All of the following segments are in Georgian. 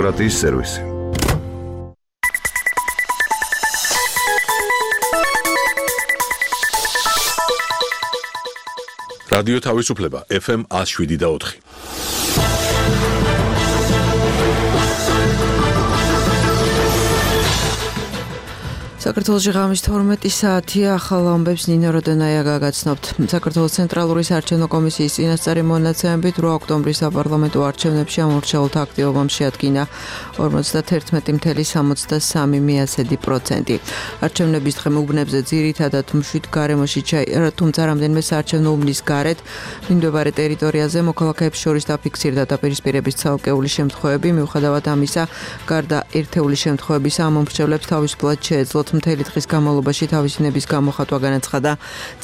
ოკრატიის სერვისი. რადიო თავისუფლება FM 107.4. საქართველოში ღამის 12 საათია, ახალ ამბებს ნინო როდენაია გაგაცნობთ. საქართველოს ცენტრალური საარჩევნო კომისიის წინასწარი მონაცემებით 8 ოქტომბრის საპარლამენტო არჩევნებში ამორჩეულთა აქტივობამ შეადგინა 51.73%. არჩევნების დღე უბნებზე ძირითადად მშვიდ გარემოში ჩაირა, თუმცა რამდენიმე საარჩევნო უბნის გარეთ მიმდებარე ტერიტორიაზე მოქალაქეებს შორის დაფიქსირდა დაპირისპირების ცალკეული შემთხვევები. მიუხედავად ამისა, გარდა ერთეული შემთხვევებისა, ამომრჩევლებს თავისუფლად შეეძლოთ მთელი დღის განმავლობაში თავისინების გამოხატვა განაცხადა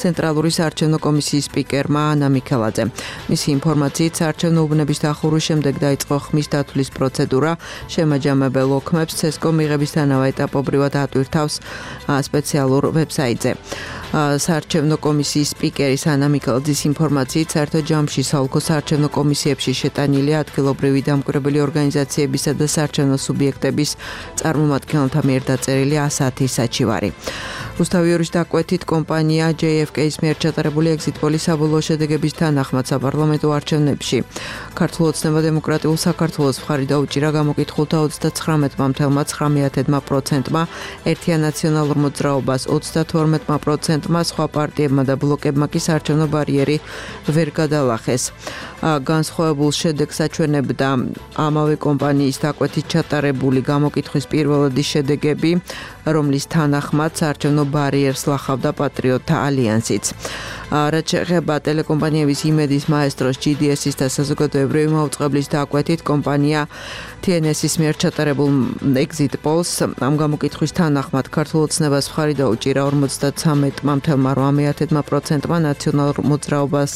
ცენტრალური საარჩევნო კომისიის სპიკერმა ანა მიქელაძე. მისი ინფორმაციით, საარჩევნო უბნების დახურვის შემდეგ დაიწყო ხმის დათვლის პროცედურა. შემაჯამებელ ოქმებს CESCO მიღებისთანავე ეტაპობრივად ატვირთავს სპეციალურ ვებსაიტზე. საარჩევნო კომისიის სპიკერის ანა მიქელაძის ინფორმაციით, საერთო ჯამში საოლქო საარჩევნო კომისიებში შეტანილია ადგილობრივი დამკვირვებელი ორგანიზაციებისა და საარჩევნო სუბიექტების წარმომადგენელთა მიერ დაწერილი 100 საჩივარი. რუსთავიორის დაკვეთით, კომპანია JFK-ის მიერ ჩატარებული ეგზიტ-პოლის საბოლოო შედეგების თანახმად საპარლამენტო არჩევნებში ქართულ ოცნება დემოკრატიულ საქართველოს მხარი დაუჭირა გამოკითხულთა 39.9%-მა, ერთიან ნაციონალურ მოძრაობას 32%-მა, სხვა პარტიებმა და ბლოკებმა კი საარჩევნო ბარიერი ვერ გადალახეს. განსხვავებულ შედეგს აჩვენებდა ამავე კომპანიის დაკვეთით ჩატარებული გამოკითხვის პირველადი შედეგები, რომლის თანახმად საარჩევნო ბარიერს ლახავდა პატრიოტთა ალიანსიც. რაც შეეხება ტელეკომპანიების იმედის მაესტროს GDS-ის და საზოგადოებრივი მაუწყებლის დაკვეთით, კომპანია TNS-ის მიერ ჩატარებულ exit polls ამ გამოკითხვის თანახმად ქართულ ოცნებას მხარი დაუჭირა 53.8%-მა, ნაციონალურ მოძრაობას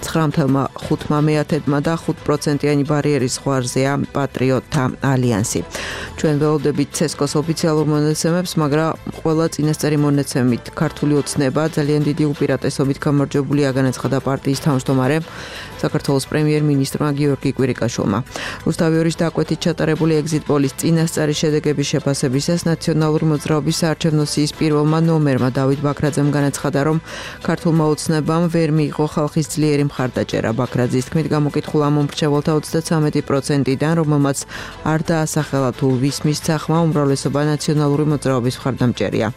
9.5%-მა და 5%-იანი ბარიერის ზღვარზეა პატრიოტთა ალიანსი. ჩვენ ველოდებით CESCO-s ოფიციალურ მონაცემებს, მაგრამ ყველა წინასწარი მონაცემით ქართული ოცნება ძალიან დიდი უპირატესობით გამარჯვებულია, განაცხადა პარტიის თავმჯდომარემ საქართველოს პრემიერ-მინისტრმა გიორგი კვირიკაშვილმა. რუსთავიორის დაკვეთით ჩატარებული ეგზიტ-პოლის წინასწარი შედეგების შეფასებისას ნაციონალური მოძრაობის საარჩევნო სიის პირველმა ნომერმა დავით ბაქრაძემ განაცხადა, რომ ქართულმა ოცნებამ ვერ მიიღო ხალხის ძლიერი მხარდაჭერა. ბაქრაძის თქმით, გამოკითხულ ამომრჩეველთა 33%-დან, რომელმაც არ დაასახელა თუ ვის მისცახმა, უმრავლესობა ნაციონალური მოძრაობის მხარდამჭერია.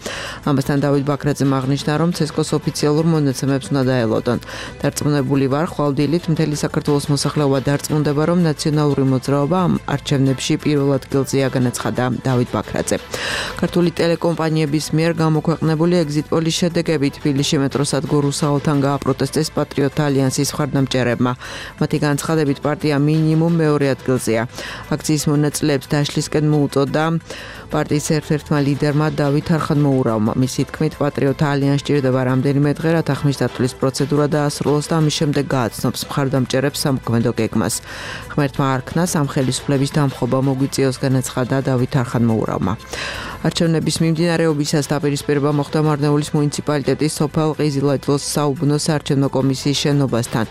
ამასთან დავით ბაქრაძემ აღნიშნა, რომ CESCO-s ოფიციალურ მონაცემებს უნდა დაელოდონ. დარწმუნებული ვარ, ხვალდილით მთელი საქართველოს მოსახლეობა დარწმუნდება, რომ ნაციონალური მოძრაობა ამ არჩევნებში პირველ ადგილზეა, განაცხადა დავით ბაქრაძე. ქართული ტელეკომპანიების მიერ გამოქვეყნებული ეგზიტ-პოლის შედეგები თბილისში მეტროსადგურ რუსაოლთან გააპროტესტეს პატრიოტთა ალიანსის მხარდამჭერებმა. მათი განცხადებით, პარტია მინიმუმ მეორე ადგილზეა. აქციის მონაწილეებს დაშლისკენ მოუწოდა პარტიის ერთ-ერთმა ლიდერმა დავით არხანმოურავმა. მისი თქმით, პატრიოტთა ალიანსს სჭირდება რამდენიმე დღე, რათა ხმის დათვლის პროცედურა დაასრულოს და ამის შემდეგ გააცნობს მხარდამჭერებს სამოქმედო გეგმას. ღმერთმა არქნას ამ ხელისუფლების დამხობა მოგვიწიოს, განაცხადა დავით არხანმოურავმა. არჩევნების მიმდინარეობისას დაპირისპირება მოხდა მარნეულის მუნიციპალიტეტის სოფელ ყიზილაჯლოს საუბნო საარჩევნო კომისიის შენობასთან.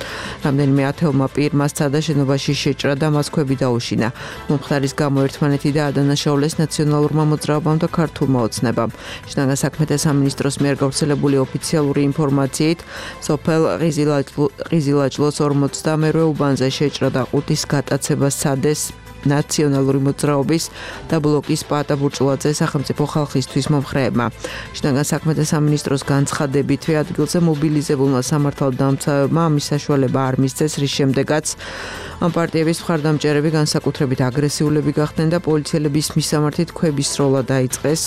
რამდენიმე ათეულმა პირმა სცადა შენობაში შეჭრა და მას ქვები დაუშინა. მომხდარის გამო ერთმანეთი დაადანაშაულეს ნაციონალურმა მოძრაობამ და ქართულმა ოცნებამ. შინაგან საქმეთა სამინისტროს მიერ გავრცელებული ოფიციალური ინფორმაციით, სოფელ ყიზილაჯლოს 42 უბანზე შეჭრა და ყუთის გატაცება სცადეს ნაციონალური მოძრაობის და ბლოკის პაატა ბურჭულაძე სახელმწიფო ხალხისთვის მომხრეებმა. შინაგან საქმეთა სამინისტროს განცხადებითვე ადგილზე მობილიზებულმა სამართალდამცავებმა ამის საშუალება არ მისცეს, რის შემდეგაც ამ პარტიების მხარდამჭერები განსაკუთრებით აგრესიულები გახდნენ და პოლიციელების მისამართით ქვების სროლა დაიწყეს.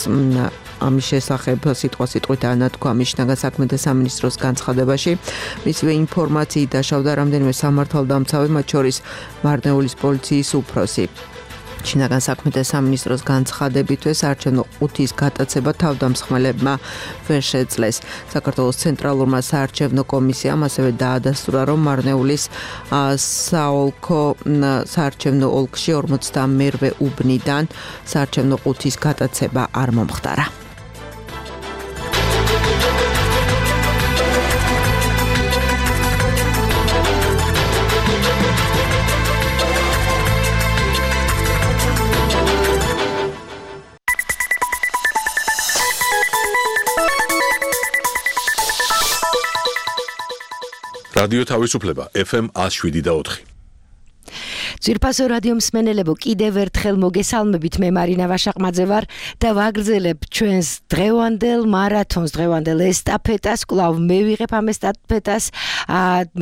ამის შესახებ სიტყვასიტყვით ანათქვა შინაგან საქმეთა სამინისტროს განცხადებაში. მისივე ინფორმაციით დაშავდა რამდენიმე სამართალდამცავი, მათ შორის მარნეულის პოლიციის უფროსი. შინაგან საქმეთა სამინისტროს განცხადებითვე საარჩევნო ყუთის გატაცება თავდამსხმელებმა ვერ შეძლეს. საქართველოს ცენტრალურმა საარჩევნო კომისიამ ასევე დაადასტურა, რომ მარნეულის საოლქო საარჩევნო ოლქში 42 უბნიდან საარჩევნო ყუთის გატაცება არ მომხდარა. რადიო თავისუფლება FM 107.4. ძვირფასო რადიო მსმენელებო, კიდევ ერთხელ მოგესალმებით, მე მარინა ვაშაყმაძე ვარ და ვაგრძელებ ჩვენს დღევანდელ მარათონს, დღევანდელ ესტაფეტას. კვლავ მე ვიღებ ამ ესტაფეტას.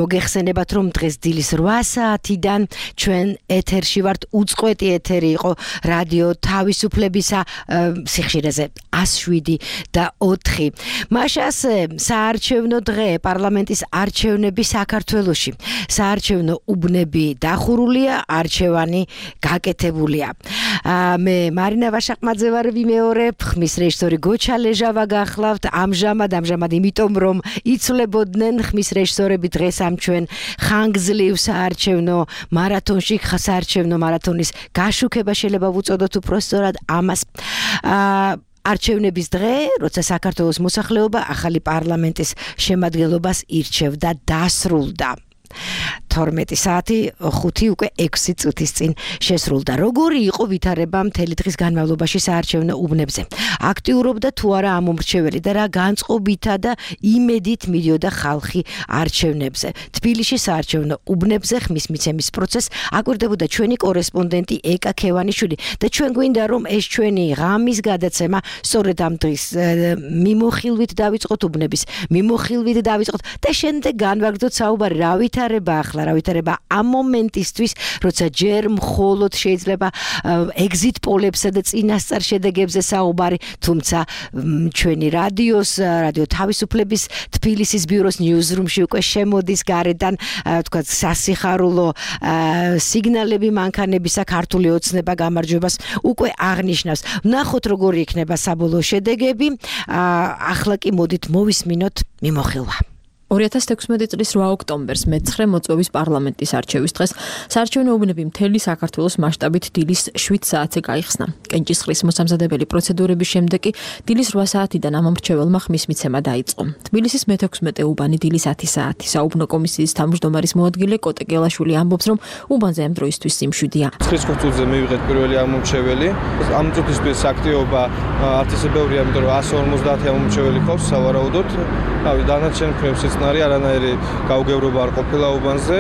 მოგეხსენებათ, რომ დღეს დილის 8 საათიდან ჩვენ ეთერში ვართ. უწყვეტი ეთერი იყო რადიო თავისუფლებისა სიხშირეზე 107.4. მაშას საარჩევნო დღე, პარლამენტის არჩევნები საქართველოში. საარჩევნო უბნები დახურულია, არჩევანი გაკეთებულია. მე მარინა ვაშაყმაძე ვარ, ვიმეორებ, ხმის რეჟისორი გოჩა ლეჟავა გახლავთ. ამჟამად იმიტომ რომ იცვლებოდნენ ხმის რეჟისორები დღეს ამ ჩვენ ხანგრძლივ საარჩევნო მარათონში, საარჩევნო მარათონის გაშუქება შეიძლება ვუწოდოთ უпроსტორად ამას. არჩევნების დღე, როცა საქართველოს მოსახლეობა ახალი პარლამენტის შემადგენლობას ირჩევდა, დასრულდა. 12 საათი 5 უკვე 6 წუთის წინ შესრულდა. როგორი იყო ვითარება მთელი დღის განმავლობაში საარჩევნო უბნებზე? აქტიურობდა თუ არა ამომრჩეველი და რა განწყობითა და იმედით მიდიოდა ხალხი არჩევნებზე? თბილისში საარჩევნო უბნებზე ხმის მიცემის პროცესს აკვირდებოდა ჩვენი კორესპონდენტი ეკა ქევანიშვილი და ჩვენ გვინდა რომ ეს ჩვენი ღამის გადაცემა სწორედ ამ დღის მიმოხილვით დავიწყოთ, უბნების მიმოხილვით დავიწყოთ და შემდეგ განვაგრძოთ საუბარი რა ვითარება ახლა, რა ვითარება ამ მომენტისთვის, როცა ჯერ მხოლოდ შეიძლება ეგზიტ პოლებსა და წინასწარ შედეგებზე საუბარი, თუმცა ჩვენი რადიო თავისუფლების თბილისის ბიუროს ნიუზრუმში უკვე შემოდის გარედან თქვათ სასიხარულო სიგნალები მანქანებისა, ქართული ოცნება გამარჯვებას უკვე აღნიშნავს. ვნახოთ როგორი იქნება საბოლოო შედეგები. ახლა კი მოდით მოვისმინოთ მიმოხილვა. 2016 წლის 8 ოქტომბერს მე-9 მოწვევის პარლამენტის არჩევის დღეს საარჩევნო უბნები მთელი საქართველოს მასშტაბით დილის 7 საათზე გაიხსნა. კენჭისყრის მოსამზადებელი პროცედურების შემდეგ კი დილის 8 საათიდან ამომრჩეველმა ხმის მიცემა დაიწყო. თბილისის მე-16 უბანი დილის 10 საათი. საუბნო კომისიის თავმჯდომარის მოადგილე კოტე გელაშვილი ამბობს, რომ უბანზე ამ დროისთვის სიმშვიდეა. 9 წუთზე მივიღეთ პირველი ამომრჩეველი. ამ წუთისთვის აქტივობა ათასზე ბევრია, იმიტომ რომ 150 ამომრჩეველი ყავს სავარაუდოდ. დანარჩენ ქვემსიც არანაირი გაუგებრობა არ ყოფილა უბანზე.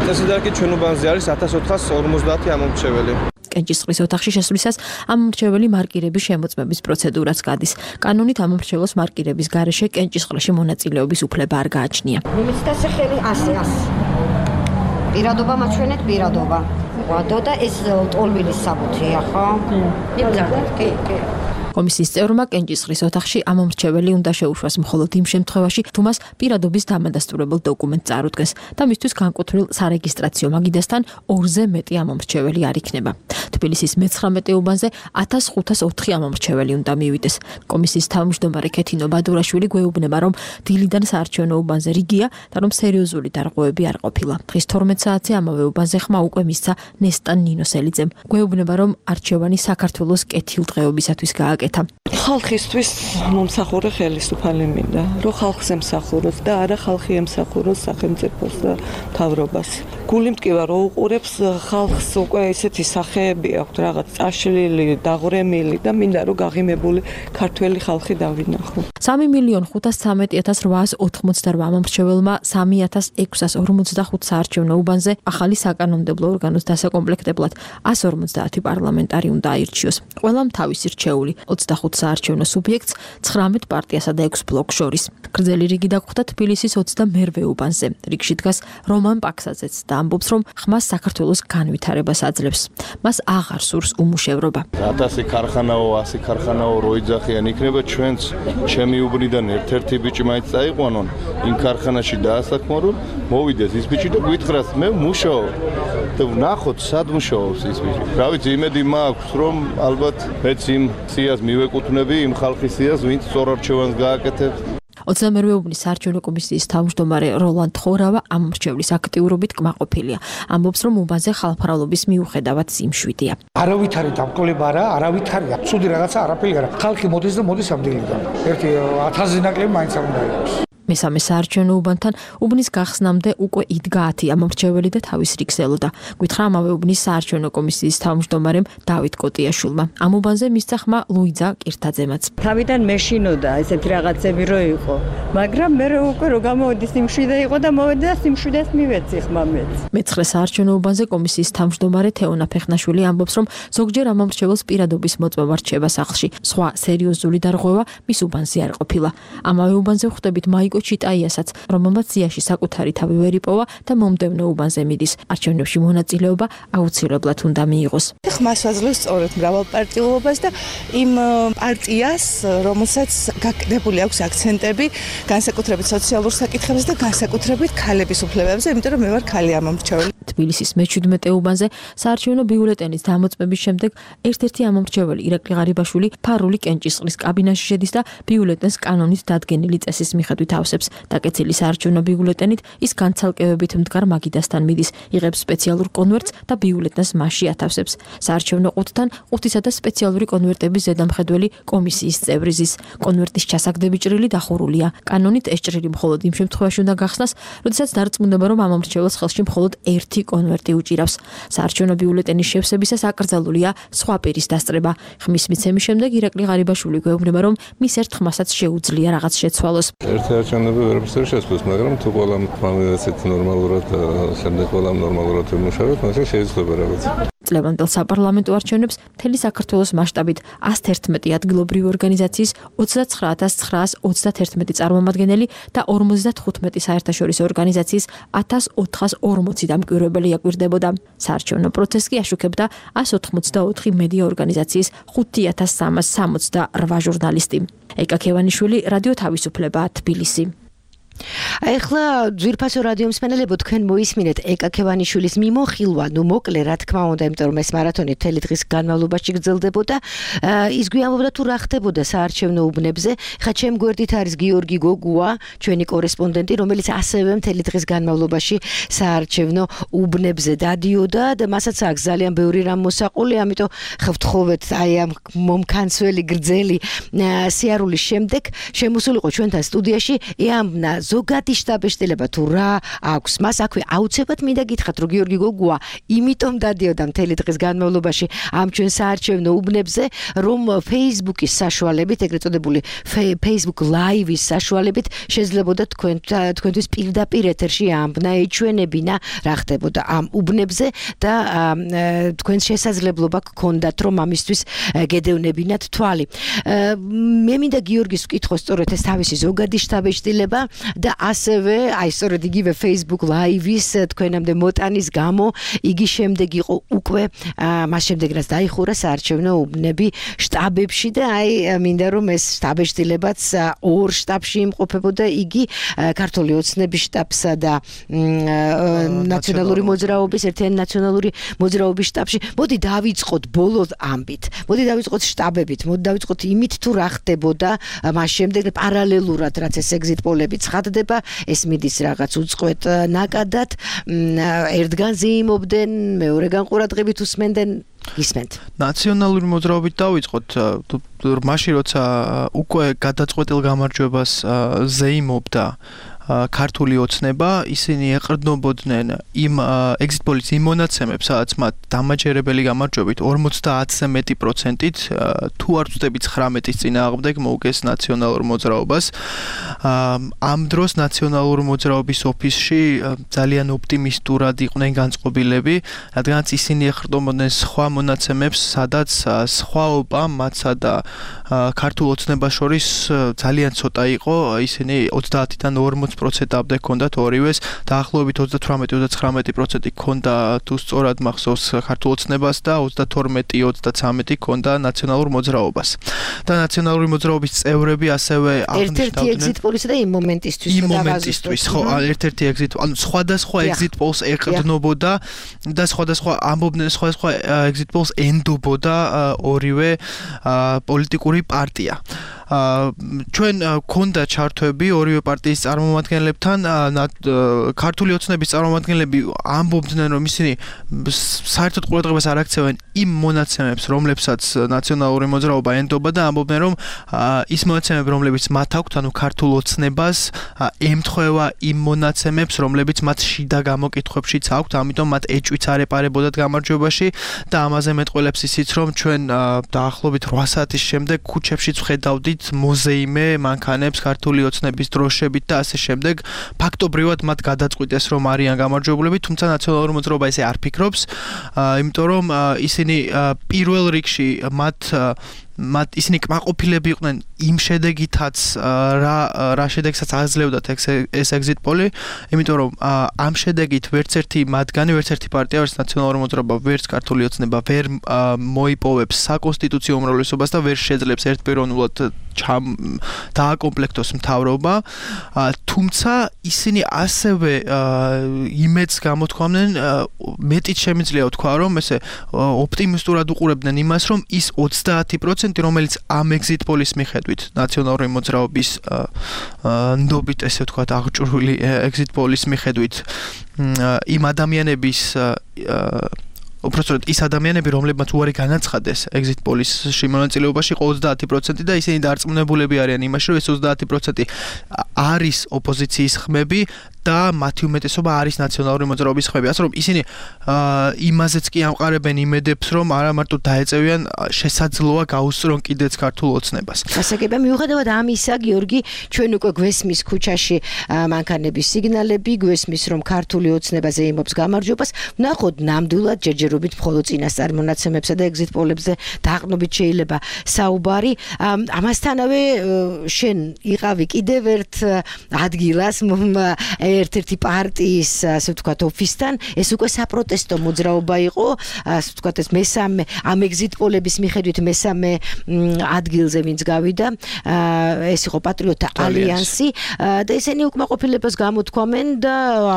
წესიდან კი ჩვენ უბანზე არის 1450 ამომრჩეველი. კენჭისყრის ოთახში შესვლისას ამომრჩეველი მარკირების შემოწმების პროცედურაც გადის. კანონით ამომრჩეველს მარკირების გარეშე კენჭისყრაში მონაწილეობის უფლება არ გააჩნია. მიმეცდა სახელი 100. პირადობა მაჩვენეთ პირადობა. ვადო და ეს ტოლვილის საბუთია, ხო? იმძარდეთ, კი. კომისიის წევრმა კენჭისყრის ოთახში ამომრჩეველი უნდა შეუშვას მხოლოდ იმ შემთხვევაში, თუ მას პირადობის დამადასტურებელ დოკუმენტს წარუდგენს და მისთვის განკუთვნილ სარეგისტრაციო მაგიდასთან 2-ზე მეტი ამომრჩეველი არ იქნება. თბილისის მე-19 უბანზე 1504 ამომრჩეველი უნდა მივიდეს. კომისიის თავმჯდომარე ქეთინო ბადურაშვილი გვეუბნება, რომ დილიდან საარჩევნო უბანზე რიგია და რომ სერიოზული დარღვევები არ ყოფილა. დღის 12 საათზე ამავე უბანზე ხმა უკვე მისცა ნესტან ნინოსელიძემ. გვეუბნება, რომ არჩევანი საქართველოს კეთილდღეობისათვის გააკეთა. ხალხისთვის მომსახურე ხელისუფალი მინდა, რომ ხალხს ემსახუროს და არა ხალხი ემსახუროს სახელმწიფოს და მთავრობას. გული მტკივა რომ უყურებს ხალხს, უკვე ესეთი სახეები აქვს, რაღაც წაშლილი, დაღრემილი და მინდა რომ გაღიმებული ქართველი ხალხი დავინახო. 3.513.888 ამომრჩეველმა 3.645 საარჩევნო უბანზე ახალი საკანონმდებლო ორგანოს დასაკომპლექტებლად 150 პარლამენტარი უნდა აირჩიოს. ყველამ თავისი რჩეული 25 საარჩევნო სუბიექტს 19 პარტიასა და 6 ბლოკს შორის. გრძელი რიგი დაგხვდა თბილისის 22 უბანზე. რიგში დგას რომან პაქსაძეც და ამბობს, რომ ხმას საქართველოს განვითარებას აძლევს. მას აღარ სურს უმუშევრობა. 1000 ქარხანაო, 100 ქარხანაო რო იძახიან იქნება, ჩვენც ჩემი უბნიდან ერთ-ერთი ბიჭი მაინც წაიყვანონ იმ ქარხანაში დაასაქმარონ, მოვიდეს ის ბიჭი და გვითხრას, მე მუშაობ. და ვნახოთ სად მუშაობს ის ბიჭი. რა ვიცი, იმედი მაქვს, რომ ალბათ მეც იმ სიას მივეკუთვნები, იმ ხალხის სიას, ვინც სწორ არჩევანს გააკეთებს. 22 უბნის საარჩევნო კომისიის თავმჯდომარე როლანდ ხორავა ამომრჩევლის აქტიურობით კმაყოფილია. ამბობს, რომ უბანზე ხალხმრავლობის მიუხედავად სიმშვიდეა. არავითარი დამკვლება არა, არავითარია. ცუდი რაღაცა არაფერი არა. ხალხი მოდის და მოდის ამ დილიდან. ერთი 1000 ნაკლები მაინც არ უნდა იყოს. მესამე საარჩევნო უბანთან უბნის გახსნამდე უკვე იდგა 10 ამომრჩეველი და თავის რიგს ელოდა. გვითხრა ამავე უბნის საარჩევნო კომისიის თავმჯდომარემ დავით კოტიაშვილმა. ამ უბანზე მისცა ხმა ლუიძა კირთაძემაც. თავიდან მეშინოდა ესეთი რაღაცები რო იყო, მაგრამ მე უკვე რო გამოვედი სიმშვიდე იყო და მოვედი და სიმშვიდეს მივეცი ხმა მეც. მეცხრე საარჩევნო უბანზე კომისიის თავმჯდომარე თეონა ფეხნაშვილი ამბობს, რომ ზოგჯერ ამომრჩეველს პირადობის მოწმობა რჩება სახლში. სხვა სერიოზული დარღვევა მის უბანზე არ ყოფილა. ამავე უბანზე ხვდებით მაიკო ჩიტაიასაც, რომელმაც ზიაში საკუთარი თავი ვერ იპოვა და მომდევნო უბანზე მიდის. არჩევნებში მონაწილეობა აუცილებლად უნდა მიიღოს. ხმას ვაძლევს სწორედ მრავალპარტიულობას და იმ პარტიას, რომელსაც გაკეთებული აქვს აქცენტები განსაკუთრებით სოციალურ საკითხებზე და განსაკუთრებით ქალების უფლებებზე, იმიტომ რომ მე ვარ ქალი ამომრჩეველი. თბილისის მე-17 უბანზე საარჩევნო ბიულეტენის დამოწმების შემდეგ ერთ-ერთი ამომრჩეველი ირაკლი ღარიბაშვილი ფარული კენჭისყრის კაბინაში შედის და ბიულეტენს კანონით დადგენილი წესის მიხედვით ავსებს. დაკეცილი საარჩევნო ბიულეტენით ის განცალკევებით მდგარ მაგიდასთან მიდის, იღებს სპეციალურ კონვერტს და ბიულეტენს მასში ათავსებს. საარჩევნო ყუთთან ყუთისა და სპეციალური კონვერტების ზედამხედველი კომისიის წევრი ზის. კონვერტის ჩასაგდები ჭრილი დახურულია. კანონით ეს ჭრილი მხოლოდ იმ შემთხვევაში უნდა გახსნას, როდესაც დარწმუნება, რომ ამომრჩეველს ხელში მხოლოდ ერთი კონვერტი უჭირავს. საარჩევნო ბიულეტენის შევსებისას აკრძალულია სხვა პირის დასწრება. ხმის მიცემის შემდეგ ირაკლი ღარიბაშვილი გვეუბნება, რომ მის ერთ ხმასაც შეუძლია რაღაც შეცვალოს. ერთი არჩევნები ვერაფერს არ შეცვლის, მაგრამ თუ ყველამ ფამილიაცეთ ნორმალურად შემდეგ ყველამ ნორმალურად ვიმუშავოთ, მაშინ შეიძლება რაღაც. წლევანდელ საპარლამენტო არჩევნებს მთელი საქართველოს მასშტაბით 111 ადგილობრივი ორგანიზაციის 29931 წარმომადგენელი და 55 საერთაშორისო ორგანიზაციის 1440 დამკვირვებელი აკვირდებოდა. საარჩევნო პროცესს კი აშუქებდა 184 მედია ორგანიზაციის 5368 ჟურნალისტი. ეკა ქევანიშვილი, რადიო თავისუფლება, თბილისი. ახლა ძვირფასო რადიო მსმენელებო, თქვენ მოისმინეთ ეკა ქევანიშვილის მიმოხილვა, მოკლე რა თქმა უნდა, იმიტომ რომ ეს მარათონი მთელი დღის განმავლობაში გრძელდებოდა. ის გვიამბობდა თუ რა ხდებოდა საარჩევნო უბნებზე. ხა ჩემ გვერდით არის გიორგი გოგუა, ჩვენი კორესპონდენტი, რომელიც ასევე მთელი დღის განმავლობაში საარჩევნო უბნებზე დადიოდა და მასაც აქვს ძალიან ბევრი რამ მოსაყოლი, ამიტომ ხევთხოვეთ აი ამ მომქანცველი გრძელი სიარულის შემდეგ შემოსულიყო ჩვენთან სტუდიაში ეამბნა ზოგადი შტაბ-ეშტილება თუ რა აქვს. მას აქვე აუცილებლად მინდა გითხრათ, რომ გიორგი გოგუა იმიტომ დადიოდა მთელი დღის განმავლობაში ამ ჩვენ საარჩევნო უბნებზე, რომ Facebook-ის საშუალებით, ეგრეთ წოდებული Facebook Live-ის საშუალებით შეძლებოდა თქვენთვის პირდაპირ ეთერში ამბნა, ეჩვენებინა რა ხდებოდა ამ უბნებზე და თქვენს შესაძლებლობა გქონდათ, რომ ამისთვის გედევნებინათ თვალი. მე მინდა გიორგის ვკითხო სწორედ ეს თავისი ზოგადი შტაბ-ეშტილება და ასევე აი სწორედ იგივე Facebook Live-ის თქვენამდე მოტანის გამო იგი შემდეგ იყო უკვე მას შემდეგ რაც დაიხურა საარჩევნო უბნები შტაბებში და აი მინდა რომ ეს შტაბ-ეშტილებაც ორ შტაბში იმყოფებოდა, იგი ქართული ოცნების შტაბსა და ნაციონალური მოძრაობის ერთიანი ნაციონალური მოძრაობის შტაბში. მოდი დავიწყოთ ბოლო ამბით, მოდი დავიწყოთ შტაბებით, მოდი დავიწყოთ იმით თუ რა ხდებოდა მას შემდეგ პარალელურად რაც ეს ეგზიტ პოლები ცხადდება, ეს მიდის რაღაც უწყვეტ ნაკადად, ერთგან ზეიმობდნენ, მეორეგან ყურადღებით უსმენდნენ. გისმენთ. ნაციონალური მოძრაობით დავიწყოთ, მაშინ როცა უკვე გადაწყვეტილ გამარჯვებას ზეიმობდა ქართული ოცნება, ისინი ეყრდნობოდნენ იმ ეგზიტ პოლის იმ მონაცემებს, სადაც მათ დამაჯერებელი გამარჯვებით 50-ზე მეტი პროცენტით, თუ არ ვწდები 19-ის წინააღმდეგ მოუგეს ნაციონალურ მოძრაობას. ამ დროს ნაციონალური მოძრაობის ოფისში ძალიან ოპტიმისტურად იყვნენ განწყობილები, რადგანაც ისინი ეყრდნობოდნენ სხვა მონაცემებს, სადაც სხვაობა მათსა და ქართულ ოცნებას შორის ძალიან ცოტა იყო, ისინი 30-დან 40%-ამდე ჰქონდათ ორივეს, დაახლოებით 38-39% ჰქონდა თუ სწორად მახსოვს ქართულ ოცნებას და 32-33 ჰქონდა ნაციონალურ მოძრაობას. და ნაციონალური მოძრაობის წევრები ასევე აღნიშნავდნენ ერთ-ერთი ეგზიტ პოლისა და იმ მომენტისთვის, ხო, ერთ-ერთი ეგზიტ, ანუ სხვადასხვა ეგზიტ პოლს ეყრდნობოდა და სხვადასხვა ამბობდნენ, სხვადასხვა ეგზიტ პოლს ენდობოდა ორივე პოლიტიკური პარტია. ჩვენ გქონდა ჩართვები ორივე პარტიის წარმომადგენლებთან, ქართული ოცნების წარმომადგენლები ამბობდნენ, რომ ისინი საერთოდ ყურადღებას არ აქცევენ იმ მონაცემებს, რომლებსაც ნაციონალური მოძრაობა ენდობა და ამბობდნენ, რომ ის მონაცემები, რომლებიც მათ აქვთ, ანუ ქართულ ოცნებას ემთხვევა იმ მონაცემებს, რომლებიც მათ შიდა გამოკითხვებშიც აქვთ, ამიტომ მათ ეჭვიც არ ეპარებოდათ გამარჯვებაში და ამაზე მეტყველებს ისიც, რომ ჩვენ დაახლოებით 8 საათის შემდეგ ქუჩებშიც ვხედავდით მოზეიმე მანქანებს ქართული ოცნების დროშებით და ასე შემდეგ. ფაქტობრივად მათ გადაწყვიტეს, რომ არიან გამარჯვებულები, თუმცა ნაციონალური მოძრაობა ესე არ ფიქრობს, იმიტომ რომ ისინი პირველ რიგში მათ ისინი კმაყოფილები იყვნენ იმ შედეგითაც რა შედეგსაც აძლევდათ ეს exit poll-ი, იმიტომ რომ ამ შედეგით ვერც ერთი მათგანი, ვერც ერთი პარტია, ვერც ნაციონალური მოძრაობა, ვერც ქართული ოცნება ვერ მოიპოვებს საკონსტიტუციო უმრავლესობას და ვერ შეძლებს ერთპიროვნულად დააკომპლექტოს მთავრობა, თუმცა ისინი ასევე იმედს გამოთქვამდნენ, მეტიც შემიძლია ვთქვა, რომ ესე ოპტიმისტურად უყურებდნენ იმას, რომ ის 30%, რომელიც ამ exit poll-ის მიხედვით, ნაციონალური მოძრაობის ნდობით, ესე ვთქვათ, აღჭურვილი exit poll-ის მიხედვით, იმ ადამიანების უბრალოდ ის ადამიანები, რომლებმაც უარი განაცხადეს exit poll-ში მონაწილეობაში, 30% და ისინი დარწმუნებულები არიან იმაში, რომ ეს 30% არის ოპოზიციის ხმები და მათი უმეტესობა არის ნაციონალური მოძრაობის ხმები. ასე რომ ისინი იმაზეც კი ამყარებენ იმედებს, რომ არა მარტო დაეწევიან, შესაძლოა გაუსწრონ კიდეც ქართულ ოცნებას. გასაგებია, მიუხედავად ამისა, გიორგი, ჩვენ უკვე გვესმის ქუჩაში მანქანების სიგნალები, გვესმის, რომ ქართული ოცნება ზეიმობს გამარჯვებას, ვნახოთ ნამდვილად ჯერჯერობით მხოლოდ წინასწარ მონაცემებსა და exit poll-ებზე დაყრდნობით შეიძლება საუბარი. ამასთანავე შენ იყავი კიდევ ერთ ადგილას ერთ-ერთი პარტიის, ასე ვთქვათ, ოფისთან, ეს უკვე საპროტესტო მოძრაობა იყო, ასე ვთქვათ, ეს მესამე ამ exit poll-ების მიხედვით მესამე ადგილზე ვინც გავიდა, ეს იყო პატრიოტთა ალიანსი და ისინი უკმაყოფილებას გამოთქვამენ და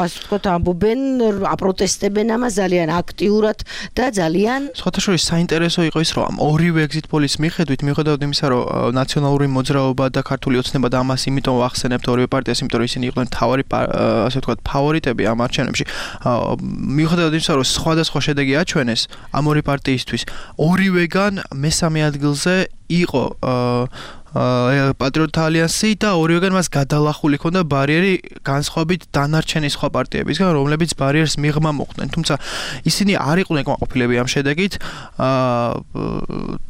ასე ვთქვათ, ამბობენ, აპროტესტებენ ამას ძალიან აქტიურად და ძალიან სხვათა შორის საინტერესო იყო ის, რომ ამ ორივე exit poll-ის მიხედვით, მიუხედავად იმისა, რომ ნაციონალური მოძრაობა და ქართული ოცნება და ამას იმიტომ ვახსენებთ ორივე პარტიას, იმიტომ რომ ისინი იყვნენ მთავარი ასე ვთქვათ, ფავორიტები ამ არჩევნებში. მიუხედავად იმისა, რომ სხვადასხვა შედეგი აჩვენეს ამ ორი პარტიისთვის, ორივეგან მესამე ადგილზე იყო პატრიოტთა ალიანსი და ორივეგან მას გადალახული ჰქონდა ბარიერი განსხვავებით დანარჩენი სხვა პარტიებისგან, რომლებიც ბარიერს მიღმა მოხვდნენ. თუმცა ისინი არ იყვნენ კმაყოფილები ამ შედეგით.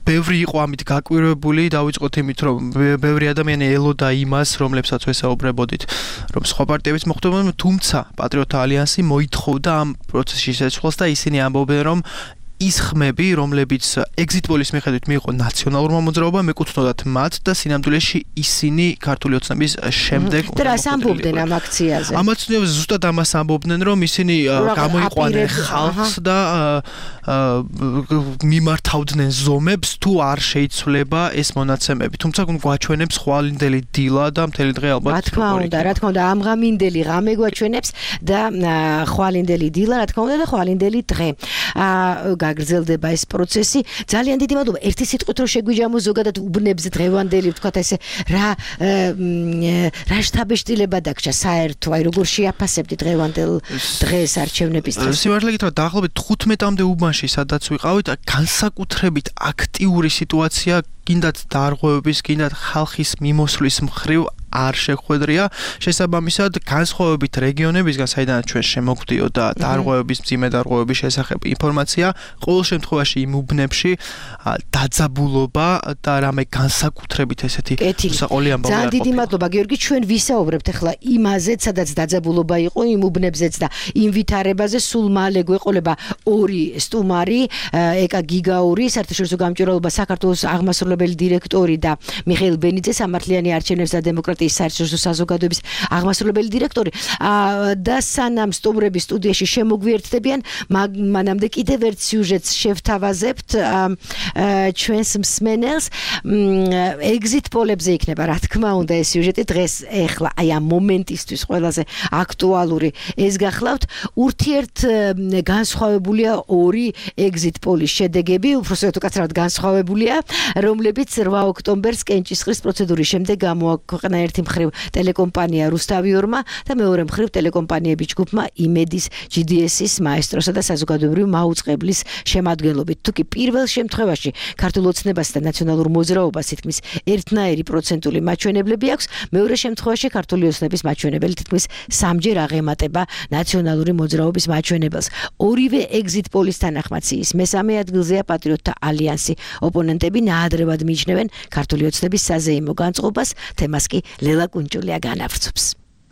ბევრი იყო ამით გაკვირვებული, დავიწყოთ იმით, რომ ბევრი ადამიანი ელოდა იმას, რომლებსაც ვესაუბრებოდით, რომ სხვა პარტიებიც მოხვდებიან, თუმცა პატრიოტთა ალიანსი მოითხოვდა ამ პროცესში შეცვლას და ისინი ამბობენ, რომ ის ხმები, რომლებიც exit poll-ის მიხედვით მიიღო ნაციონალურმა მოძრაობამ, ეკუთვნოდათ მათ და სინამდვილეში ისინი ქართული ოცნების შემდეგ და რას ამბობდნენ ამ აქციაზე? ამ აქციაზე ზუსტად ამას ამბობდნენ, რომ ისინი გამოიყვანენ ხალხს და მიმართავდნენ ზომებს, თუ არ შეიცვლება ეს მონაცემები. თუმცა გვაჩვენებს ხვალინდელი დილა და მთელი დღე ალბათ. რა თქმა უნდა, ამღამინდელი ღამე გვაჩვენებს და ხვალინდელი დილა, რა თქმა უნდა და ხვალინდელი დღე. გაგრძელდება ეს პროცესი. ძალიან დიდი მადლობა. ერთი სიტყვით რომ შეგვიჯამო ზოგადად უბნებზე დღევანდელი, ვთქვათ ესე, რა შთაბეჭდილება დაგჭა საერთო, აი როგორ შეაფასებდი დღევანდელ დღეს არჩევნების დღეს? სიმართლე გითხრათ, დაახლოებით 15-მდე უბანში, სადაც ვიყავით, განსაკუთრებით აქტიური სიტუაცია, კიდაც დარღვევების, კიდაც ხალხის მიმოსვლის მხრივ არ შეხვედრია. შესაბამისად, განსხვავებით რეგიონებისგან, საიდანაც ჩვენ შემოგვდიო და დარღვევების, მძიმე დარღვევების შესახებ ინფორმაცია, ყოველ შემთხვევაში იმ უბნებში დაძაბულობა და რამე განსაკუთრებით ესეთი უსაყოლი ამბავი არ ყოფილა. ძალიან დიდი მადლობა, გიორგი, ჩვენ ვისაუბრებთ ახლა იმაზეც, სადაც დაძაბულობა იყო, იმ უბნებზეც და იმ ვითარებაზე. სულ მალე გვეყოლება ორი სტუმარი, ეკა გიგაური, საერთაშორისო გამჭვირვალობა საქართველოს აღმასრულებელი დირექტორი და მიხეილ ბენიძე, სამართლიანი არჩევნების და დემოკრატიის პარტიის საერთაშორისო საზოგადოების აღმასრულებელი დირექტორი და სანამ სტუმრები სტუდიაში შემოგვიერთდებიან, მანამდე კიდევ ერთ სიუჟეტს შევთავაზებთ ჩვენს მსმენელს. Exit polებზე იქნება, რა თქმა უნდა, ეს სიუჟეტი დღეს ეხლა აი ამ მომენტისთვის ყველაზე აქტუალური ეს გახლავთ. ურთიერთ განსხვავებულია ორი exit polis შედეგები, უბრალოდ უკაცრავად განსხვავებულია, რომლებიც 8 ოქტომბერს კენჭისყრის პროცედურის შემდეგ გამოაქვეყნა ერთი მხრივ ტელეკომპანია რუსთავიორმა და მეორე მხრივ ტელეკომპანიების ჯგუფმა იმედის, GDS-ის, მაესტროსა და საზოგადოებრივი მაუწყებლის შემადგენლობით. თუკი პირველ შემთხვევაში ქართულ ოცნებას და ნაციონალურ მოძრაობას თითქმის ერთნაირი პროცენტული მაჩვენებლები აქვს, მეორე შემთხვევაში ქართული ოცნების მაჩვენებელი თითქმის 3-ჯერ აღემატება ნაციონალური მოძრაობის მაჩვენებელს. ორივე exit polis თანახმაციის მესამე ადგილზეა პატრიოტთა ალიანსი. ოპონენტები ნაადრევად მიიჩნევენ ქართული ოცნების საზეიმო განწყობას, თემას კი ლელა კუნჭულია განავრცობს.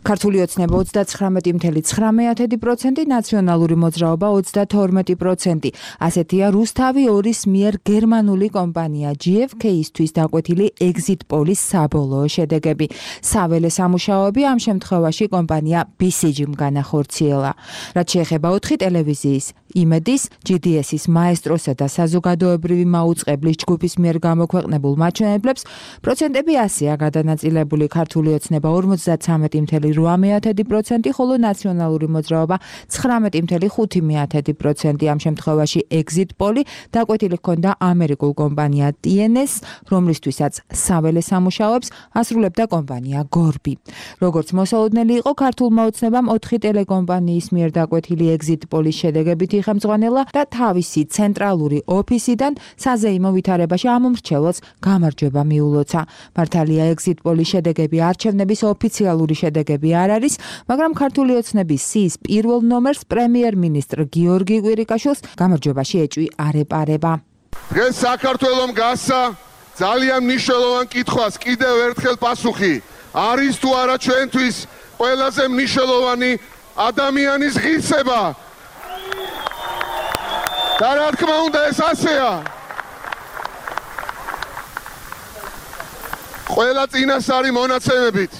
ქართული ოცნება 39.9%, ნაციონალური მოძრაობა 32%. ასეთია რუსთავი 2-ის მიერ გერმანული კომპანია GfK-ისთვის დაკვეთილი exit polis საბოლოო შედეგები. საველე სამუშაოები ამ შემთხვევაში კომპანია BCG-მ განახორციელა. რაც შეეხება 4 ტელევიზიის, იმედის, GDS-ის, მაესტროსა და საზოგადოებრივი მაუწყებლის ჯგუფის მიერ გამოქვეყნებულ მაჩვენებლებს, პროცენტები ასეა გადანაწილებული ქართული ოცნება 53.8%, ხოლო ნაციონალური მოძრაობა 19.5%. ამ შემთხვევაში exit poli დაკვეთილი ჰქონდა ამერიკულ კომპანია TNS, რომლისთვისაც საველე სამუშაოებს ასრულებდა კომპანია Gorbi. როგორც მოსალოდნელი იყო ქართულმა ოცნებამ 4 ტელეკომპანიის მიერ დაკვეთილი exit polis შედეგებით ხელმძღვანელა და თავისი ცენტრალური ოფისიდან საზეიმო ვითარებაში ამომრჩევლს გამარჯვება მიულოცა. მართალია exit polis შედეგები არჩევნების ოფიციალური შედეგები არ არის, მაგრამ ქართული ოცნების სიის პირველ ნომერს პრემიერ-მინისტრ გიორგი კვირიკაშვილს გამარჯვებაში ეჭვი არ ეპარება. დღეს საქართველომ გასცა ძალიან მნიშვნელოვან კითხვას კიდევ ერთხელ პასუხი. არის თუ არა ჩვენთვის ყველაზე მნიშვნელოვანი ადამიანის ღირსება? და რა თქმა უნდა ეს ასეა. ყველა წინასწარი მონაცემებით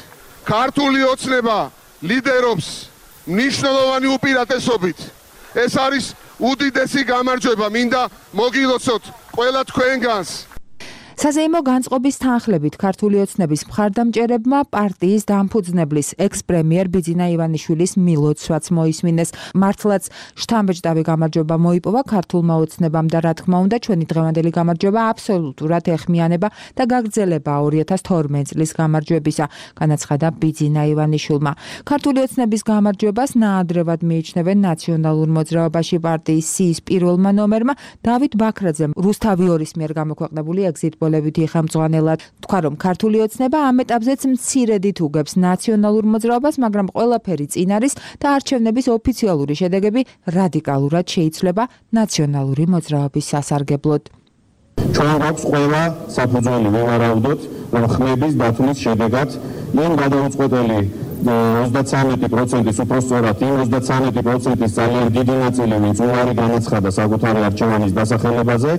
ქართული ოცნება ლიდერობს მნიშვნელოვანი უპირატესობით. ეს არის უდიდესი გამარჯვება, მინდა მოგილოცოთ ყველა თქვენგანს. საზეიმო განწყობის თანხლებით ქართული ოცნების მხარდამჭერებმა პარტიის დამფუძნებლის ექს-პრემიერ ბიძინა ივანიშვილის მილოცვაც მოისმინეს. მართლაც შთამბეჭდავი გამარჯვება მოიპოვა ქართულმა ოცნებამ და რა თქმა უნდა ჩვენი დღევანდელი გამარჯვება აბსოლუტურად ეხმიანება და გაგრძელება 2012 წლის გამარჯვებისა, განაცხადა ბიძინა ივანიშვილმა. ქართული ოცნების გამარჯვებას ნაადრევად მიიჩნევენ ნაციონალურ მოძრაობაში პარტიის სიის პირველმა ნომერმა დავით ბაქრაძემ რუსთავი 2-ის მიერ გამოქვეყნებული exit პოლებით იხამძღვანელად. თქვა, რომ ქართული ოცნება ამ ეტაპზეც მცირედით უგებს ნაციონალურ მოძრაობას, მაგრამ ყველაფერი წინ არის და არჩევნების ოფიციალური შედეგები რადიკალურად შეიცვლება ნაციონალური მოძრაობის სასარგებლოდ. ჩვენ გვაქვს ყველა საფუძველი ვივარაუდოთ, რომ ხმების დათვლის შედეგად იმ გადაუწყვეტელი 33%-ის უпростоრად იმ 33%-ის ძალიან დიდი ნაწილი, ვინც უარი განაცხადა საკუთარი არჩევანის დასახელებაზე,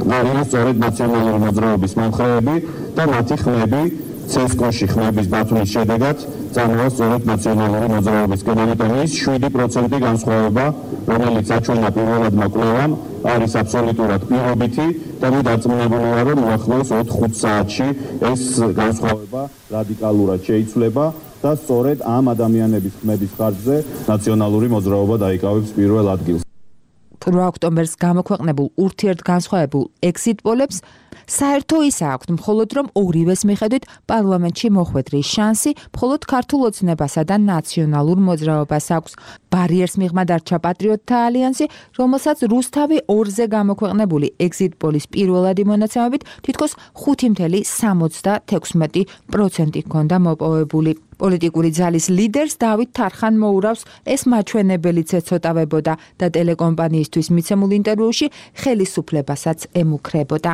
არის სწორედ ნაციონალური მოძრაობის მომხრეები და მათი ხმები CSKO-ში ხმების დათვლის შედეგად წარმოა სწორედ ნაციონალური მოძრაობისკენ. ამიტომ ის 7% განსხვავება, რომელიც აჩვენა პირველადმა კვლევამ, არის აბსოლუტურად პირობითი და მე დარწმუნებული ვარ, რომ უახლოეს 4-5 საათში ეს განსხვავება რადიკალურად შეიცვლება და სწორედ ამ ადამიანების ხმების ხარჯზე ნაციონალური მოძრაობა დაიკავებს პირველ ადგილს. 8 ოქტომბერს გამოქვეყნებულ ურთიერთგანსხვავებულ exit polls საერთო ისა აქვთ, მხოლოდ რომ ორივეს მიხედვით პარლამენტში მოხვედრის შანსი მხოლოდ ქართულ ოცნებასა და ნაციონალურ მოძრაობას აქვს. ბარიერს მიღმა დარჩა პატრიოტთა ალიანსი, რომელსაც რუსთავი 2-ზე გამოქვეყნებული exit polls პირველადი მონაცემებით თითქოს 5.76% ჰქონდა მოპოვებული. პოლიტიკური ძალის ლიდერს დავით თარხან მოურავს ეს მაჩვენებელიც ეცოტავებოდა და ტელეკომპანიისთვის მიცემულ ინტერვიუში ხელისუფლებასაც ემუქრებოდა.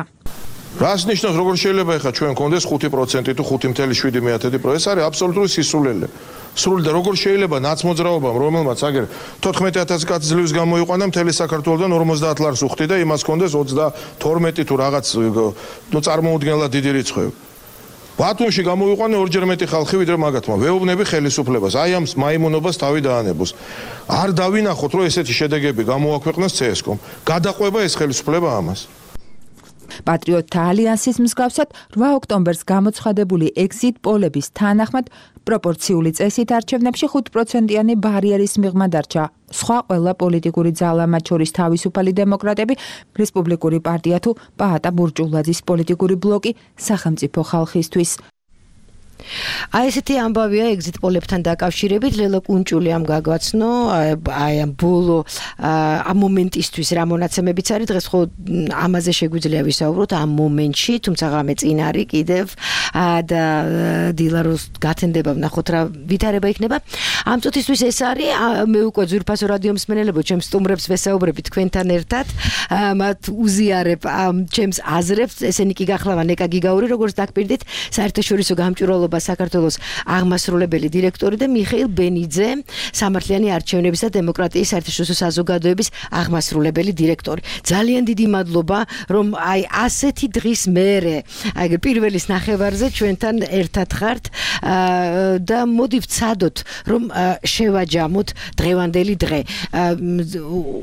რას ნიშნავს, როგორ შეიძლება ეხლა ჩვენ გქონდეს 5% თუ 5.7%? ეს არის აბსოლუტური სისულელე. სრული და როგორ შეიძლება ნაცმოძრაობამ, რომელმაც აგერ 14,000 კაცი ძლივს გამოიყვანა მთელი საქართველოსთან 50 ლარს უხდი და იმას გქონდეს 22 თუ რაღაც წარმოუდგენლად დიდი რიცხვი. ბათუმში გამოვიყვანე ორჯერ მეტი ხალხი ვიდრე მაგათმა. ვეუბნები ხელისუფლებას, აი ამ მაიმუნობას თავი დაანებოს. არ დავინახოთ, რომ ესეთი შედეგები გამოაქვეყნოს CSKOM. გადაყვება ეს ხელისუფლება ამას. პატრიოტთა ალიანსის მსგავსად 8 ოქტომბერს გამოცხადებული ეგზიტ პოლების თანახმად პროპორციული წესით არჩევნებში 5%-იანი ბარიერის მიღმა დარჩა. სხვა ყველა პოლიტიკური ძალა, მათ შორის თავისუფალი დემოკრატები, რესპუბლიკური პარტია თუ პაატა ბურჯულაძის პოლიტიკური ბლოკი სახელმწიფო ხალხისთვის. აი ესეთი ამბავია ეგზიტ პოლებთან დაკავშირებით. ლელა კუნჭული ამ გაგვაცნო, აი ამ ბოლო ამ მომენტისთვის რა მონაცემებიც არის. დღეს ხო ამაზე შეგვიძლია ვისაუბროთ ამ მომენტში, თუმცა ღამე წინ არის კიდევ და დილაროს გათენდება ვნახოთ რა ვითარება იქნება. ამ წუთისთვის ეს არის. მე უკვე ძვირფასო რადიო მსმენელებო, ჩემს სტუმრებს ვესაუბრები თქვენთან ერთად. მათ უზიარებ ჩემს აზრებს. ესენი კი გახლავან ნეკა გიგაური, როგორც დაგპირდით, საერთაშორისო გამჭვირვალობა საქართველოს აღმასრულებელი დირექტორი და მიხეილ ბენიძე, სამართლიანი არჩევნების და დემოკრატიის საერთაშორისო საზოგადოების აღმასრულებელი დირექტორი. ძალიან დიდი მადლობა, რომ აი ასეთი დღის მერე, აი პირველის ნახევარზე ჩვენთან ერთად ხართ და მოდი ვცადოთ, რომ შევაჯამოთ დღევანდელი დღე.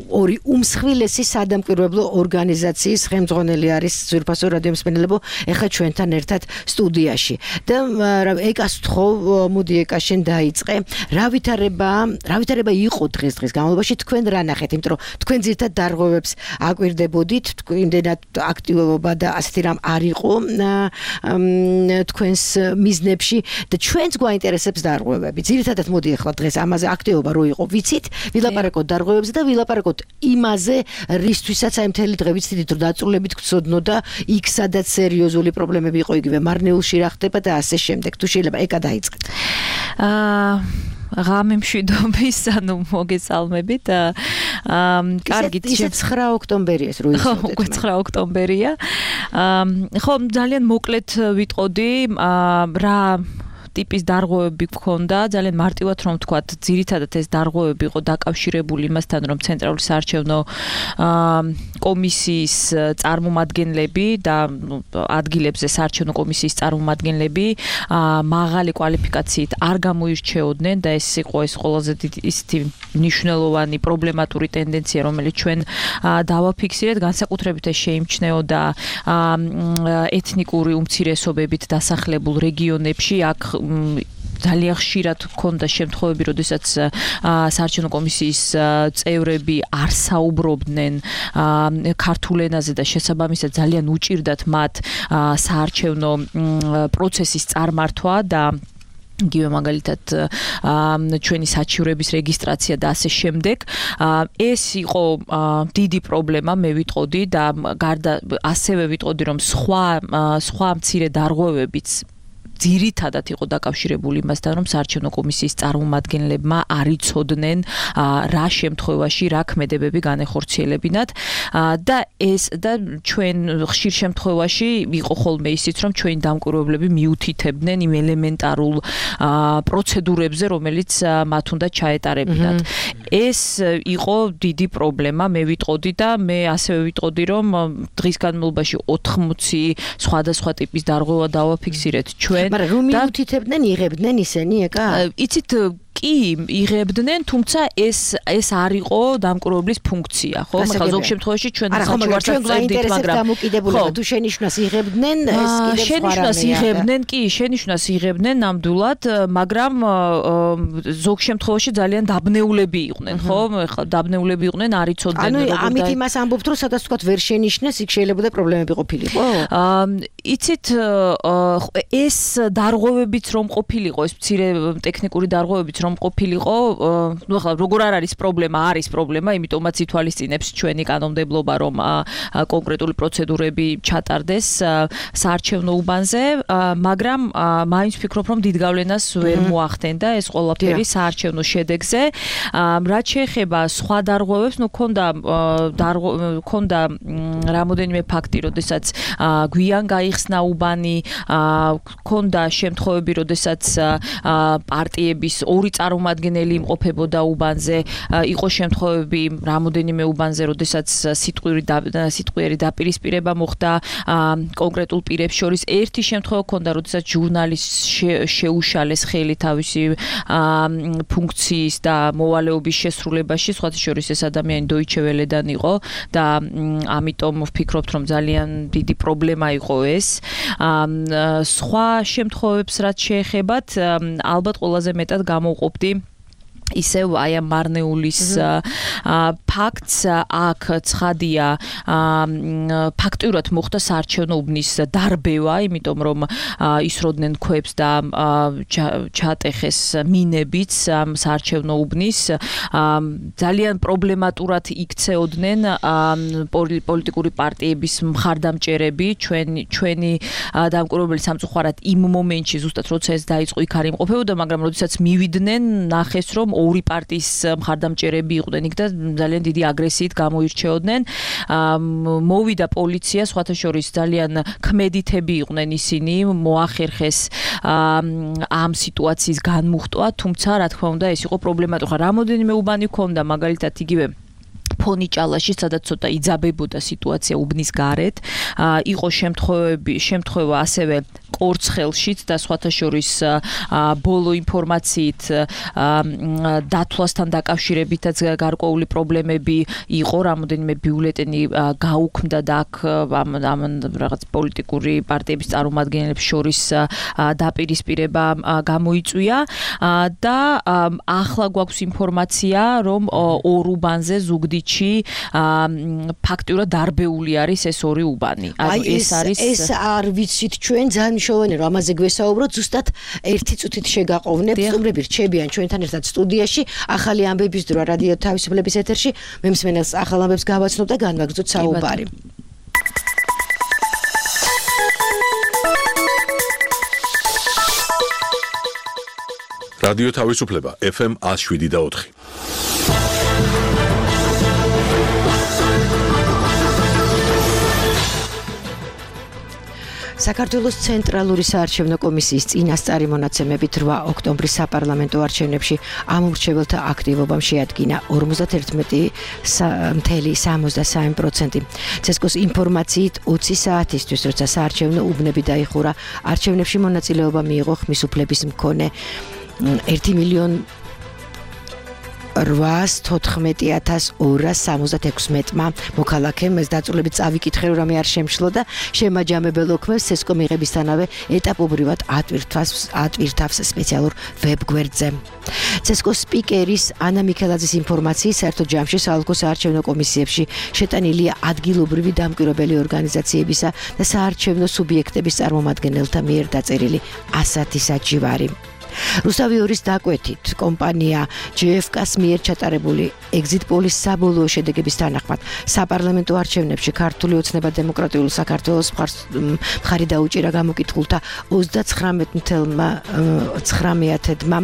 ორი უმსხვილესი სადამკვირვებლო ორგანიზაციის ხელმძღვანელი არის ძვირფასო რადიო მსმენელებო, ეხლა ჩვენთან ერთად სტუდიაში. და ეკას თხოვ, მოდი ეკა შენ დაიწყე. რა ვითარება იყო დღეს განმავლობაში, თქვენ რა ნახეთ, იმიტომ რომ თქვენ ძირთად დარღვევებს აკვირდებოდით, იმდენად აქტივობა და ასეთი რამ არ იყო თქვენს მიზნებში და ჩვენც გვაინტერესებს დარღვევები. ძირთადად მოდი ახლა დღეს ამაზე აქტივობა რო იყო, ვიცით, ვილაპარაკოთ დარღვევებზე და ვილაპარაკოთ იმაზე, რისთვისაც აი მთელი დღე ვიცით, რომ დაწურლებით გწოდნო და იქ სადაც სერიოზული პრობლემები იყო, იგივე მარნეულში რა ხდება და ასე შემდეგ. თუ შეიძლება ეკა დაიწყეთ. ღამე მშვიდობის, ანუ მოგესალმებით. კარგით, 9 ოქტომბერია ეს რო იცოდეთ. უკვე 9 ოქტომბერია. ხო, ძალიან მოკლედ ვიტყოდი, რა ტიპის დარღვევები გქონდა, ძალიან მარტივად რომ ვთქვათ, ძირითადად ეს დარღვევები იყო დაკავშირებული იმასთან, რომ ცენტრალური საარჩევნო კომისიის წარმომადგენლები და ადგილებზე საარჩევნო კომისიის წარმომადგენლები მაღალი კვალიფიკაციით არ გამოირჩეოდნენ და ეს იყო ეს ყველაზე ისეთი მნიშვნელოვანი პრობლემატური ტენდენცია, რომელიც ჩვენ დავაფიქსირეთ, განსაკუთრებით ეს შეიმჩნეოდა ეთნიკური უმცირესობებით დასახლებულ რეგიონებში, აქ ძალიან ხშირად ჰქონდა შემთხვევები, როდესაც საარჩევნო კომისიის წევრები არ საუბრობდნენ ქართულ ენაზე და შესაბამისად ძალიან უჭირდათ მათ საარჩევნო პროცესის წარმართვა და იგივე მაგალითად ჩვენი საჩივრების რეგისტრაცია და ასე შემდეგ. ეს იყო დიდი პრობლემა, მე ვიტყოდი და გარდა ასევე ვიტყოდი, რომ სხვა მცირე დარღვევებიც ძირითადად იყო დაკავშირებული იმასთან, რომ საარჩევნო კომისიის წარმომადგენლებმა არ იცოდნენ რა შემთხვევაში რა ქმედებები განეხორციელებინათ და ეს და ჩვენ ხშირ შემთხვევაში იყო ხოლმე ისიც, რომ ჩვენი დამკვირვებლები მიუთითებდნენ იმ ელემენტარულ პროცედურებზე, რომელიც მათ უნდა ჩაეტარებინათ. ეს იყო დიდი პრობლემა, მე ვიტყოდი და მე ასევე ვიტყოდი, რომ დღის განმავლობაში 80 სხვადასხვა ტიპის დარღვევა დავაფიქსირეთ ჩვენ. მაგრამ რომ მიუთითებდნენ, იღებდნენ ისინი ეკა? იცით კი იღებდნენ, თუმცა ეს არ იყო დამკვირვებლის ფუნქცია, ხო? მაგრამ ზოგ შემთხვევაში ჩვენ საჩუქარსაც წერდით, მაგრამ დამოკიდებულება თუ შენიშვნას იღებდნენ, ეს კიდევ შენიშვნას იღებდნენ, კი, შენიშვნას იღებდნენ ნამდვილად, მაგრამ ზოგ შემთხვევაში ძალიან დაბნეულები იყვნენ, ხო? ეხლა დაბნეულები იყვნენ, არ იცოდნენ როგორ და ამით იმას ამბობთ, რომ სადაც თქვა ვერ შენიშვნეს, იქ შეიძლება და პრობლემები ყოფილიყო? იცით, ეს დარღვევებიც რომ ყოფილიყო, ეს მცირე ტექნიკური დარღვევებიც რომ ყოფილიყო, ნუ ახლა როგორ არ არის პრობლემა, არის პრობლემა, იმიტომაც ითვალისწინებს ჩვენი კანონმდებლობა, რომ კონკრეტული პროცედურები ჩატარდეს საარჩევნო უბანზე, მაგრამ მაინც ვფიქრობ, რომ დიდ გავლენას ვერ მოახდენდა ეს ყველაფერი საარჩევნო შედეგზე. რაც შეეხება სხვა დარღვევებს, ნუ ქონდა რამოდენიმე ფაქტი, როდესაც გვიან გაიხსნა უბანი, ქონდა შემთხვევები, როდესაც პარტიების ორი წარმომადგენელი იმყოფებოდა უბანზე, იყო შემთხვევები რამოდენიმე უბანზე, როდესაც სიტყვიერი დაპირისპირება მოხდა კონკრეტულ პირებს შორის. ერთი შემთხვევა ჰქონდა, როდესაც ჟურნალისტს შეუშალეს ხელი თავისი ფუნქციის და მოვალეობის შესრულებაში, სხვათა შორის ეს ადამიანი Deutsche Welle-დან იყო და ამიტომ ვფიქრობთ, რომ ძალიან დიდი პრობლემა იყო ეს. სხვა შემთხვევებს რაც შეეხებათ, ალბათ ყველაზე მეტად გამოვყოფდი ისევ აი ამ მარნეულის ფაქტს. აქ ცხადია, ფაქტიურად მოხდა საარჩევნო უბნის დარბევა, იმიტომ რომ ისროდნენ ქვებს და ჩატეხეს მინებიც ამ საარჩევნო უბნის. ძალიან პრობლემატურად იქცეოდნენ პოლიტიკური პარტიების მხარდამჭერები, ჩვენი დამკვირვებელი სამწუხაროდ იმ მომენტში ზუსტად როცა ეს დაიწყო იქ არ იმყოფებოდა, მაგრამ როდესაც მივიდნენ, ნახეს რომ ორი პარტიის მხარდამჭერები იყვნენ იქ და ძალიან დიდი აგრესიით გამოირჩეოდნენ. მოვიდა პოლიცია, სხვათა შორის ძალიან ქმედითები იყვნენ ისინი, მოახერხეს ამ სიტუაციის განმუხტვა, თუმცა რა თქმა უნდა ეს იყო პრობლემატური. რამოდენიმე უბანი ჰქონდა, მაგალითად იგივე ფონიჭალაში, სადაც ცოტა იძაბებოდა სიტუაცია უბნის გარეთ. იყო შემთხვევა ასევე კორცხელშიც და სხვათა შორის ბოლო ინფორმაციით დათვლასთან დაკავშირებითაც გარკვეული პრობლემები იყო, რამოდენიმე ბიულეტენი გაუქმდა და აქ ამ რაღაც პოლიტიკური პარტიების წარმომადგენლებს შორის დაპირისპირება გამოიწვია და ახლა გვაქვს ინფორმაცია, რომ ორ უბანზე ზუგდიდში ფაქტიურად დარბეული არის ეს ორი უბანი. ეს არ ვიცით ჩვენ ძალიან მნიშვნელოვანია რომ ამაზე გვესაუბროთ, ზუსტად ერთი წუთით შეგაყოვნებთ. სტუმრები რჩებიან ჩვენთან ერთად სტუდიაში, ახალი ამბების დრო რადიო თავისუფლების ეთერში. მე მსმენელს ახალ ამბებს გავაცნობ და განვაგრძოთ საუბარი. რადიო თავისუფლება FM 107.4. საქართველოს ცენტრალური საარჩევნო კომისიის წინასწარი მონაცემებით 8 ოქტომბრის საპარლამენტო არჩევნებში ამომრჩეველთა აქტივობამ შეადგინა 51.63%. ცესკოს ინფორმაციით 20 საათისთვის, როცა საარჩევნო უბნები დაიხურა, არჩევნებში მონაწილეობა მიიღო ხმის უფლების მქონე 1,814,276-მა მოქალაქემ. ეს დაწვრილებით წავიკითხე, რომ რამე არ შემშლო და შემაჯამებელ ოქმებს ცესკო მიღებისთანავე ეტაპობრივად ატვირთავს სპეციალურ ვებგვერდზე. ცესკოს სპიკერის ანა მიქელაძის ინფორმაციით, საერთო ჯამში საოლქო საარჩევნო კომისიებში შეტანილია ადგილობრივი დამკვირვებელი ორგანიზაციებისა და საარჩევნო სუბიექტების წარმომადგენელთა მიერ დაწერილი 100 საჯივარი. რუსთავი 2-ის დაკვეთით, კომპანია JFK-ს მიერ ჩატარებული exit polls საბოლოო შედეგების თანახმად საპარლამენტო არჩევნებში ქართული ოცნება დემოკრატიული საქართველოს მხარი დაუჭირა გამოკითხულთა 39%-მა,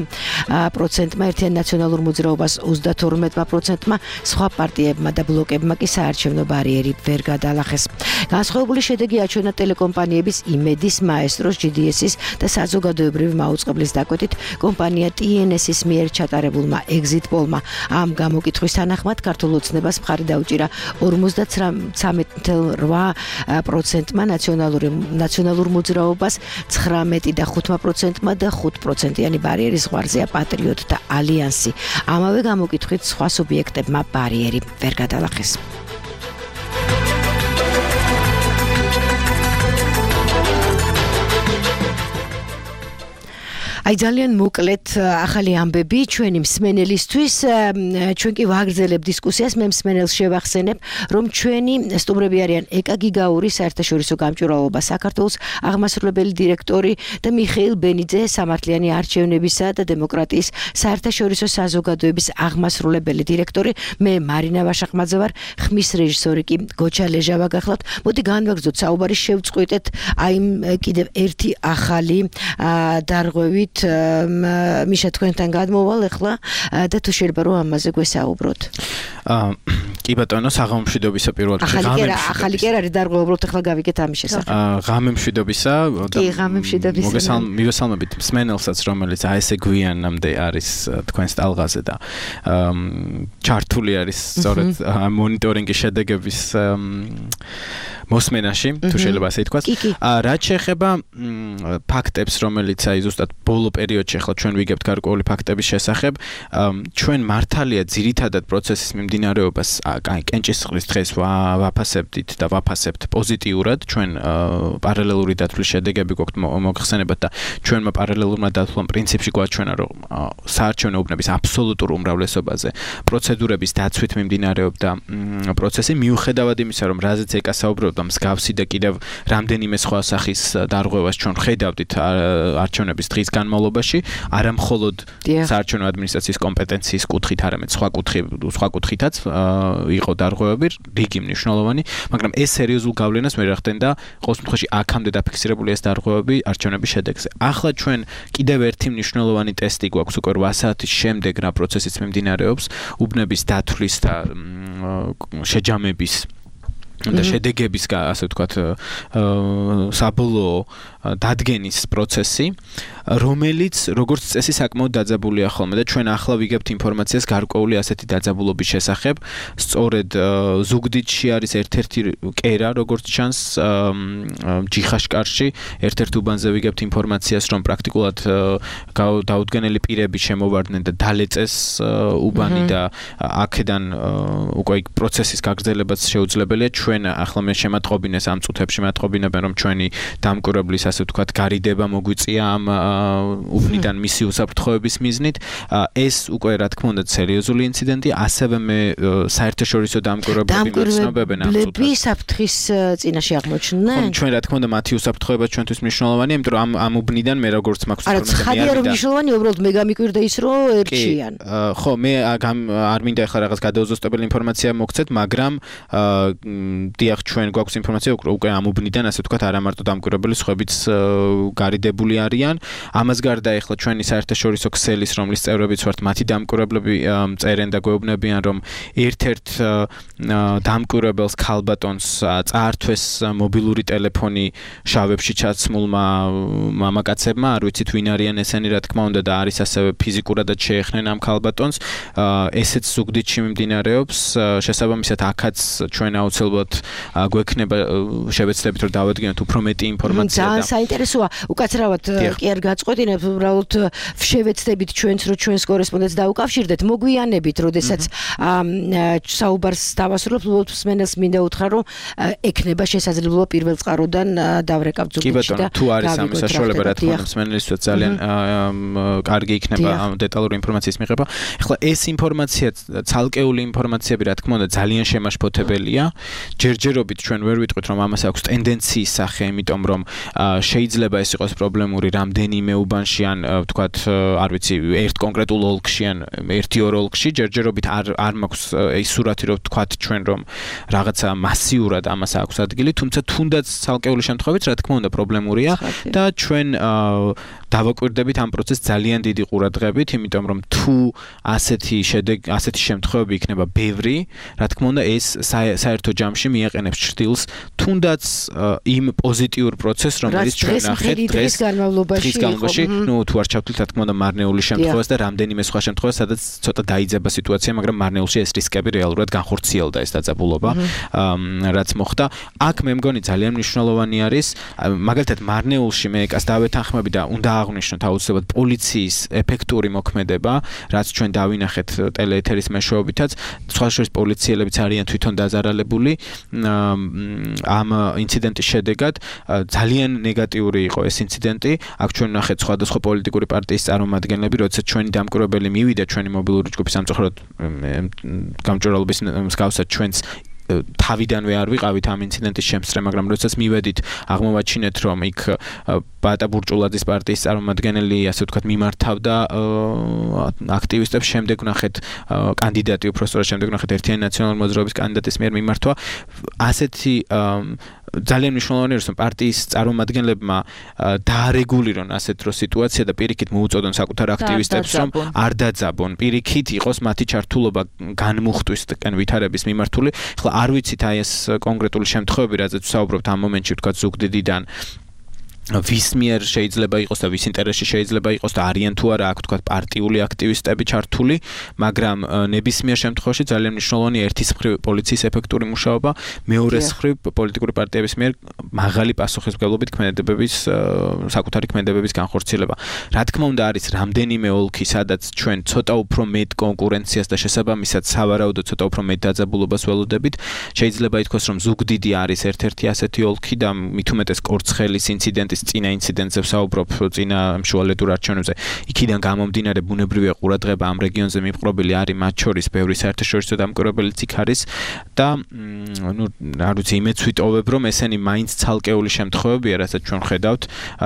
ერთიან ნაციონალურ მოძრაობას 32%-მა, სხვა პარტიებმა და ბლოკებმა კი საარჩევნო ბარიერი ვერ გადალახეს. განსხვავებული შედეგი აჩვენა ტელეკომპანიების იმედის, მაესტროს, GDS-ის და საზოგადოებრივი მაუწყებლის დაკვეთით. კომპანია TNS-ის მიერ ჩატარებულმა exit poll-მა ამ გამოკითხვის თანახმად ქართულ ოცნებას მხარი დაუჭირა 53.8%-მა, ნაციონალურ მოძრაობას 19.5%-მა და 5%-იანი ბარიერის ზღვარზეა პატრიოტთა ალიანსი. ამავე გამოკითხვით სხვა სუბიექტებმა ბარიერი ვერ გადალახეს. აი ძალიან მოკლედ ახალი ამბები ჩვენი მსმენელისთვის. ჩვენ კი ვაგრძელებთ დისკუსიას. მე მსმენელს შევახსენებ, რომ ჩვენი სტუმრები არიან ეკა გიგაური, საერთაშორისო გამჭვირვალობა საქართველოს აღმასრულებელი დირექტორი და მიხეილ ბენიძე, სამართლიანი არჩევნებისა და დემოკრატიის საერთაშორისო საზოგადოების აღმასრულებელი დირექტორი. მე მარინა ვაშახმაძე ვარ, ხმის რეჟისორი კი გოჩა ლეჟავა გახლავთ. მოდი განვაგრძოთ საუბარი, შევწყვეტეთ აი კიდევ ერთი ახალი დარღვევით. მიშა თქვენთან გადმოვალ ახლა და თუ შეიძლება რომ ამაზე გვესაუბროთ. კი ბატონო, საღამო მშვიდობისა პირველ რიგში. ახალი კი არ არის დარღვევა, უბრალოდ ახლა გავიგეთ ამის შესახებ. ღამე მშვიდობისა. კი, ღამე მშვიდობისა. მივესალმებით მსმენელსაც, რომელიც აი ესე გვიანამდე არის თქვენს ტალღაზე და ჩართული არის სწორედ მონიტორინგის შედეგების მოსმენაში, თუ შეიძლება ასე ითქვას. რაც შეეხება ფაქტებს, რომელიც აი ზუსტად ბოლო პერიოდში ახლა ჩვენ ვიგებთ გარკვეული ფაქტების შესახებ, ჩვენ მართალია ძირითადად პროცესის მიმდინარეობას აი კენჭისყრის დღეს ვაფასებდით და ვაფასებთ პოზიტიურად, ჩვენ პარალელური დათვლის შედეგები გვაქვს მოგხსენებათ და ჩვენმა პარალელურმა დათვლამ პრინციპში გვაჩვენა, რომ საარჩევნო უბნების აბსოლუტურ უმრავლესობაზე პროცედურების დაცვით მიმდინარეობდა პროცესი, მიუხედავად იმისა, რომ რაზეც ეკა საუბრობდა მსგავსი და კიდევ რამდენიმე სხვა სახის დარღვევას ჩვენ ხედავდით არჩევნების დღის განმავლობაში, არა მხოლოდ საარჩევნო ადმინისტრაციის კომპეტენციის კუთხით, არამედ სხვა კუთხითაც იყო დარღვევები, რიგი მნიშვნელოვანი, მაგრამ ეს სერიოზულ გავლენას ვერ ახდენდა ყოველ შემთხვევაში აქამდე დაფიქსირებული ეს დარღვევები არჩევნების შედეგზე. ახლა ჩვენ კიდევ ერთი მნიშვნელოვანი ტესტი გვაქვს უკვე 8 საათის შემდეგ რა პროცესიც მიმდინარეობს უბნების დათვლის და შეჯამების და შედეგების ასე ვთქვათ საბოლოო დადგენის პროცესი, რომელიც როგორც წესი საკმაოდ დაძაბულია ხოლმე და ჩვენ ახლა ვიგებთ ინფორმაციას გარკვეული ასეთი დაძაბულობის შესახებ. სწორედ ზუგდიდში არის ერთ-ერთი კერა, როგორც ჩანს ჯიხაშკარში, ერთ-ერთ უბანზე ვიგებთ ინფორმაციას, რომ პრაქტიკულად დაუდგენელი პირები შემოვარდნენ და დალეწეს უბანი და აქედან უკვე პროცესის გაგრძელებაც შეუძლებელია. ჩვენ ახლა მე შემატყობინეს ამ წუთებში მეტყობინებენ, რომ ჩვენი დამკვირვებლის ასე ვთქვათ გარიდება მოგვიწია ამ უბნიდან მისი უსაფრთხოების მიზნით. ეს უკვე რა თქმა უნდა სერიოზული ინციდენტი, ასევე მე საერთაშორისო დამკვირვებლები მიცნობებენ ამ წუთას. საფრთხის წინაშე აღმოჩნდნენ? ჩვენ რა თქმა უნდა მათი უსაფრთხოება ჩვენთვის მნიშვნელოვანია, იმიტომ რომ ამ უბნიდან მე როგორც მაქვს არა, ცხადია რომ მნიშვნელოვანია, უბრალოდ მე გამიკვირდა ის რომ ერჩიან. ხო, მე არ მინდა ახლა რაღაც გადაუზუსტებელი ინფორმაცია მოგცეთ, მაგრამ დიახ, ჩვენ გვაქვს ინფორმაცია უკვე ამ უბნიდან ასე ვთქვათ არა მარტო დამკვირვებელი სხვებიც გარიდებული არიან. ამას გარდა ახლა ჩვენი საერთაშორისო ქსელის, რომლის წევრებიც ვართ, მათი დამკვირვებლები წერენ და გვეუბნებიან, რომ ერთ-ერთ დამკვირვებელს ქალბატონს წაართვეს მობილური ტელეფონი შავებში ჩაცმულმა მამაკაცებმა, არ ვიცით ვინ არიან ესენი რა თქმა უნდა და არის ასევე ფიზიკურადაც შეეხნენ ამ ქალბატონს. ესეც ზუგდიდში მიმდინარეობს. შესაბამისად აქაც ჩვენ აუცილებლად გვექნება შევეცდებით რომ დავადგინოთ უფრო მეტი ინფორმაცია და ძალიან საინტერესოა. უკაცრავად კი არ გაწყვეტინებ, უბრალოდ შევეცდებით ჩვენც რომ ჩვენს კორესპონდენტს დაუკავშირდეთ, მოგვიანებით, როდესაც საუბარს დავასრულებთ, უბრალოდ მსმენელს მინდა უთხრა, რომ ექნება შესაძლებლობა პირველ წყაროდან დავრეკავთ ზუგდიდში და თუ არის ამის საშუალება, რა თქმა უნდა, მსმენელისთვის ძალიან კარგი იქნება ამ დეტალური ინფორმაციის მიღება. ახლა ეს ინფორმაცია, ცალკეული ინფორმაციები, რა თქმა უნდა, ძალიან შემაშფოთებელია. ჯერჯერობით ჩვენ ვერ ვიტყვით, რომ ამას აქვს ტენდენციის სახე, იმიტომ რომ შეიძლება ეს იყოს პრობლემური რამდენიმე უბანში ან ვთქვათ, არ ვიცი, ერთ კონკრეტულ ოლქში ან ერთი-ორ ოლქში, ჯერჯერობით არ მაქვს ის სურათი, რომ ვთქვათ ჩვენ, რომ რაღაცა მასიურად ამას აქვს ადგილი, თუმცა თუნდაც ცალკეული შემთხვევით, რა თქმა უნდა, პრობლემურია და ჩვენ დავაკვირდებით ამ პროცესს ძალიან დიდი ყურადღებით, იმიტომ რომ თუ ასეთი შემთხვევები იქნება ბევრი, რა თქმა უნდა, ეს საერთო ჯამში მიაყენებს ჭრილს თუნდაც იმ პოზიტიურ პროცესს, რომელიც ჩვენ ნახეთ დღეს განმავლობაში, ნუ თუ არ ჩავთვლით, რა თქმა უნდა, მარნეული შემთხვევას და რამდენიმე სხვა შემთხვევას, სადაც ცოტა დაიძაბა სიტუაცია, მაგრამ მარნეულში ეს რისკები რეალურად განხორციელდა ეს დაძაბულობა, რაც მოხდა. აქ მე მგონი ძალიან მნიშვნელოვანი არის, მაგალითად მარნეულში მე ეკას დავეთანხმები და უნდა აღვნიშნოთ აუცილებლად პოლიციის ეფექტური მოქმედება, რაც ჩვენ დავინახეთ ტელეეთერის მეშვეობითაც, სხვა შორის პოლიციელებიც არიან თვითონ დაზარალებული ამ ინციდენტის შედეგად. ძალიან ნეგატიური იყო ეს ინციდენტი. აქ ჩვენ ვნახეთ სხვადასხვა პოლიტიკური პარტიის წარმომადგენლები, როდესაც ჩვენი დამკვირვებელი მივიდა ჩვენი მობილური ჯგუფის სამწუხაროდ გამჭვირვალობის მსგავსად ჩვენს თავიდანვე არ ვიყავით ამ ინციდენტის შემსწრე, მაგრამ როდესაც მივედით, აღმოვაჩინეთ, რომ იქ ბატა ბურჭულაძის პარტიის წარმომადგენელი, ასე ვთქვათ, მიმართავდა აქტივისტებს, შემდეგ ვნახეთ კანდიდატი, უბრალოდ შემდეგ ვნახეთ ერთიანი ნაციონალური მოძრაობის კანდიდატის მიერ მიმართვა. ასეთი ძალიან მნიშვნელოვანია, რომ პარტიის წარმომადგენლებმა დაარეგულირონ ასეთ დრო სიტუაცია და პირიქით მოუწოდონ საკუთარ აქტივისტებს, რომ არ დაძაბონ, პირიქით იყოს მათი ჩართულობა განმუხტვის ვითარების მიმართული. ახლა არ ვიცით აი ეს კონკრეტული შემთხვევები, რაზეც ვსაუბრობთ ამ მომენტში, ვთქვათ, ზუგდიდიდან ვის მიერ შეიძლება იყოს და ვის ინტერესში შეიძლება იყოს და არიან თუ არა აქ ვთქვათ პარტიული აქტივისტები ჩართული, მაგრამ ნებისმიერ შემთხვევაში ძალიან მნიშვნელოვანია ერთის მხრივ პოლიციის ეფექტური მუშაობა, მეორეს მხრივ პოლიტიკური პარტიების მიერ მაღალი პასუხისმგებლობით ქმედებების საკუთარი ქმედებების განხორციელება. რა თქმა უნდა არის რამდენიმე ოლქი, სადაც ჩვენ ცოტა უფრო მეტ კონკურენციას და შესაბამისად სავარაუდოდ ცოტა უფრო მეტ დაძაბულობას ველოდებით. შეიძლება ითქვას, რომ ზუგდიდი არის ერთ-ერთი ასეთი ოლქი და მით უმეტეს კორცხელის ინციდენტის წინა ინციდენტზე ვსაუბრობ, წინა მშუალედურ არჩევნებზე. იქიდან გამომდინარე ბუნებრივია ყურადღება ამ რეგიონზე მიპყრობილი არის, მათ შორის ბევრი საერთაშორისო დამკვირვებელიც იქ არის და არ ვიცი, იმეც ვიტოვებ, რომ ესენი მაინც ცალკეული შემთხვევებია, რასაც ჩვენ ხედავთ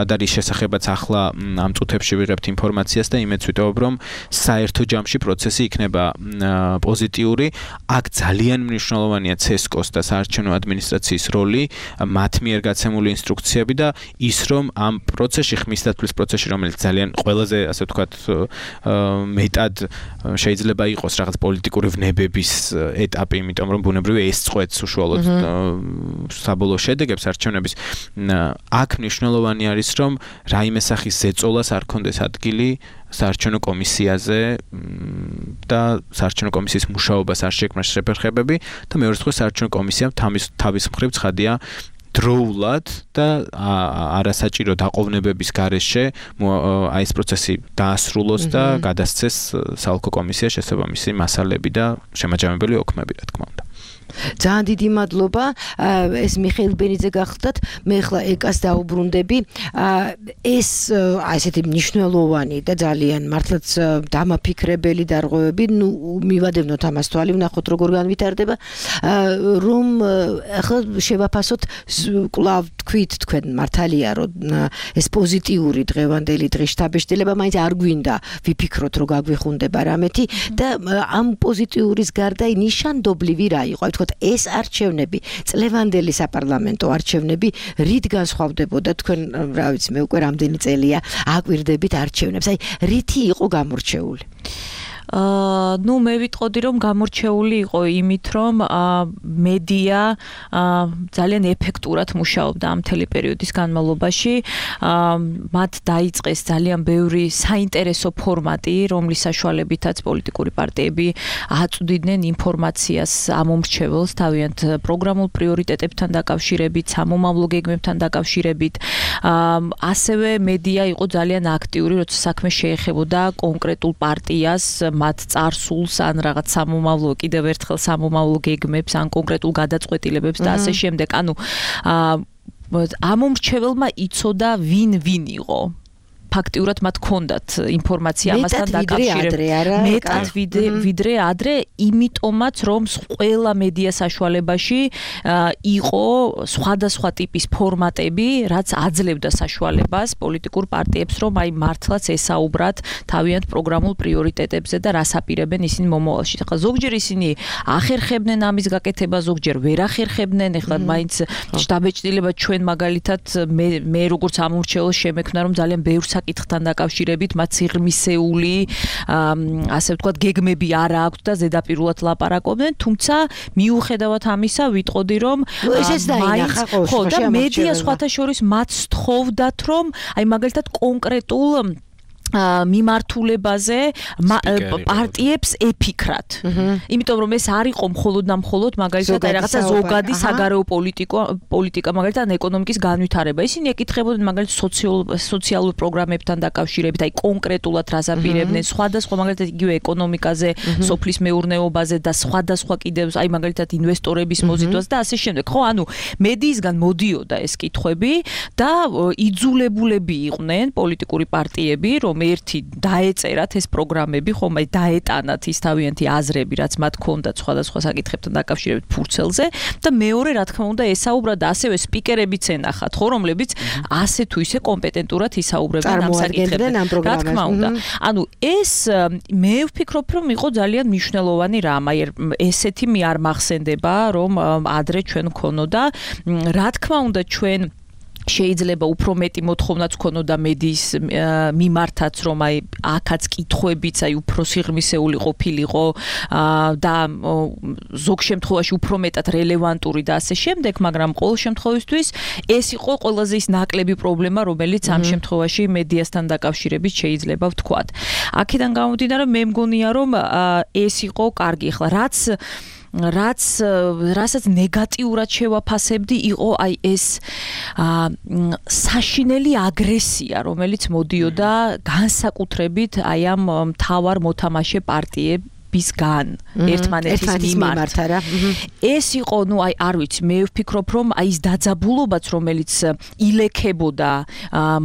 და რის შესახებაც ახლა ამ წუთებში ვიღებთ ინფორმაციას და იმეც ვიტოვებ, რომ საერთო ჯამში პროცესი იქნება პოზიტიური. აქ ძალიან მნიშვნელოვანია CESCO-ს და საარჩევნო ადმინისტრაციის როლი, მათ მიერ გაცემული ინსტრუქციები და ის რომ ამ პროცესში, ხმისდაცვის პროცესში, რომელიც ძალიან ყველაზე, ასე ვთქვათ, მეტად შეიძლება იყოს რაღაც პოლიტიკური ვნებების ეტაპი, იმიტომ რომ ბუნებრივია ეს წყვეტს უშუალოდ საბოლოო შედეგებს არჩევნების. აქ მნიშვნელოვანი არის, რომ რაიმე სახის ზეწოლას არ კონდეს ადგილი საარჩევნო კომისიაზე და საარჩევნო კომისიის მუშაობას არ შექმნას შეფერხებები და მეორე მხრივ საარჩევნო კომისიამ თავის მხრივ ცხადია დროულად და არასაჭირო დაყოვნებების გარეშე აი ეს პროცესი დაასრულოს და გადასცეს საოლქო კომისია შესაბამისი მასალები და შემაჯამებელი ოქმები, რა თქმა უნდა. ძალიან დიდი მადლობა. ეს მიხეილ ბენიძე გახლდათ. მე ხლა ეკას დაუბრუნდები. ეს აი ესეთი მნიშვნელოვანი და ძალიან მართლაც დამაფიქრებელი დარღვევები, ნუ მივადევნოთ ამას თვალი, ვნახოთ როგორ განვითარდება, რომ ახლა შევაფასოთ კლავ თქვით თქვენ მართალია, რომ ეს პოზიტიური დღევანდელი დღის შთაბეჭდილება მაინც არ გვინდა ვიფიქროთ, რომ გაგვიხუნდება რამეთი და ამ პოზიტიურის გარდა ნიშანდობლივი რა იყო? ვთქვათ, ეს არჩევნები, წლევანდელი საპარლამენტო არჩევნები, რით განსხვავდებოდა თქვენ, რა ვიცი, მე უკვე რამდენი წელია აკვირდებით არჩევნებს. აი, რითი იყო გამორჩეული? ნუ მე ვიტყოდი, რომ გამორჩეული იყო იმით, რომ მედია ძალიან ეფექტურად მუშაობდა ამ მთელი პერიოდის განმავლობაში. მათ დაიწყეს ძალიან ბევრი საინტერესო ფორმატი, რომლის საშუალებითაც პოლიტიკური პარტიები აწვდიდნენ ინფორმაციას ამომრჩეველს თავიანთ პროგრამულ პრიორიტეტებთან დაკავშირებით, სამომავლო გეგმებთან დაკავშირებით. ასევე მედია იყო ძალიან აქტიური, როცა საქმე შეეხებოდა კონკრეტულ პარტიას, მათ წარსულს ან რაღაც სამომავლო, კიდევ ერთხელ სამომავლო გეგმებს ან კონკრეტულ გადაწყვეტილებებს და ასე შემდეგ. ანუ ამომრჩეველმა იცოდა ვინ იყო. ფაქტიურად მათ ჰქონდათ ინფორმაცია ამასთან დაკავშირებით. მეტად ვიდრე ადრე, იმიტომაც რომ ყველა მედია საშუალებაში იყო სხვადასხვა ტიპის ფორმატები, რაც აძლევდა საშუალებას პოლიტიკურ პარტიებს, რომ აი მართლაც ესაუბრათ თავიანთ პროგრამულ პრიორიტეტებზე და რას აპირებენ ისინი მომავალში. ახლა ზოგჯერ ისინი ახერხებდნენ ამის გაკეთებას, ზოგჯერ ვერ ახერხებდნენ. ახლა მაინც შტაბეჭდილება ჩვენ მაგალითად მე როგორც ამორჩეველს შემექმნა, რომ ძალიან ბევრ საკითხთან დაკავშირებით მათ სიღრმისეული, ასე ვთქვათ, გეგმები არ აქვთ და ზედაპირულად ლაპარაკობდნენ, თუმცა მიუხედავად ამისა ვიტყოდი, რომ მაინც ხო და მედია სხვათა შორის მათ სთხოვდათ, რომ აი მაგალითად კონკრეტულ მიმართულებაზე პარტიებს ეფიქრათ. იმიტომ რომ ეს არ იყო მხოლოდ მაგალითად აი რაღაცა ზოგადი საგარეო პოლიტიკა, მაგალითად ეკონომიკის განვითარება. ისინი ეკითხებოდნენ მაგალითად სოციალურ პროგრამებთან დაკავშირებით, აი კონკრეტულად რას აპირებდნენ, სხვადასხვა მაგალითად იგივე ეკონომიკაზე, სოფლის მეურნეობაზე და სხვადასხვა კიდევ აი მაგალითად ინვესტორების მოზიდვას და ასე შემდეგ. ხო, ანუ მედიისგან მოდიოდა ეს კითხვები და იძულებულები იყვნენ პოლიტიკური პარტიები, რომ რომ ერთი დაეწერათ ეს პროგრამები, ხომ, აი დაეტანათ ის თავიანთი აზრები, რაც მათ ჰქონდათ სხვადასხვა საკითხებთან დაკავშირებით ფურცელზე და მეორე, რა თქმა უნდა, ესაუბრა და ასევე სპიკერებიც ენახათ, ხო, რომლებიც ასე თუ ისე კომპეტენტურად ისაუბრებენ ამ საკითხებზე. რა თქმა უნდა. ანუ ეს მე ვფიქრობ, რომ იყო ძალიან მნიშვნელოვანი რამ, აი ესეთი მე არ მახსენდება, რომ ადრე ჩვენ ქონოდა, რა თქმა უნდა ჩვენ შეიძლება უფრო მეტი მოთხოვნაც ქონოდა მედიის მიმართაც, რომ აი აქაც კითხვებიც აი უფრო სიღრმისეული ყოფილიყო და ზოგ შემთხვევაში უფრო მეტად რელევანტური და ასე შემდეგ, მაგრამ ყოველ შემთხვევისთვის ეს იყო ყველაზე ის ნაკლები პრობლემა, რომელიც ამ შემთხვევაში მედიასთან დაკავშირებით შეიძლება ვთქვათ. აქედან გამომდინარე, მე მგონია, რომ ეს იყო კარგი. ახლა რასაც ნეგატიურად შევაფასებდი, იყო აი ეს საშინელი აგრესია, რომელიც მოდიოდა განსაკუთრებით აი ამ მთავარ მოთამაშე პარტიებისგან ერთმანეთის მიმართ. ეს იყო, ნუ აი არ ვიცი, მე ვფიქრობ, რომ აი ეს დაძაბულობაც, რომელიც ილექებოდა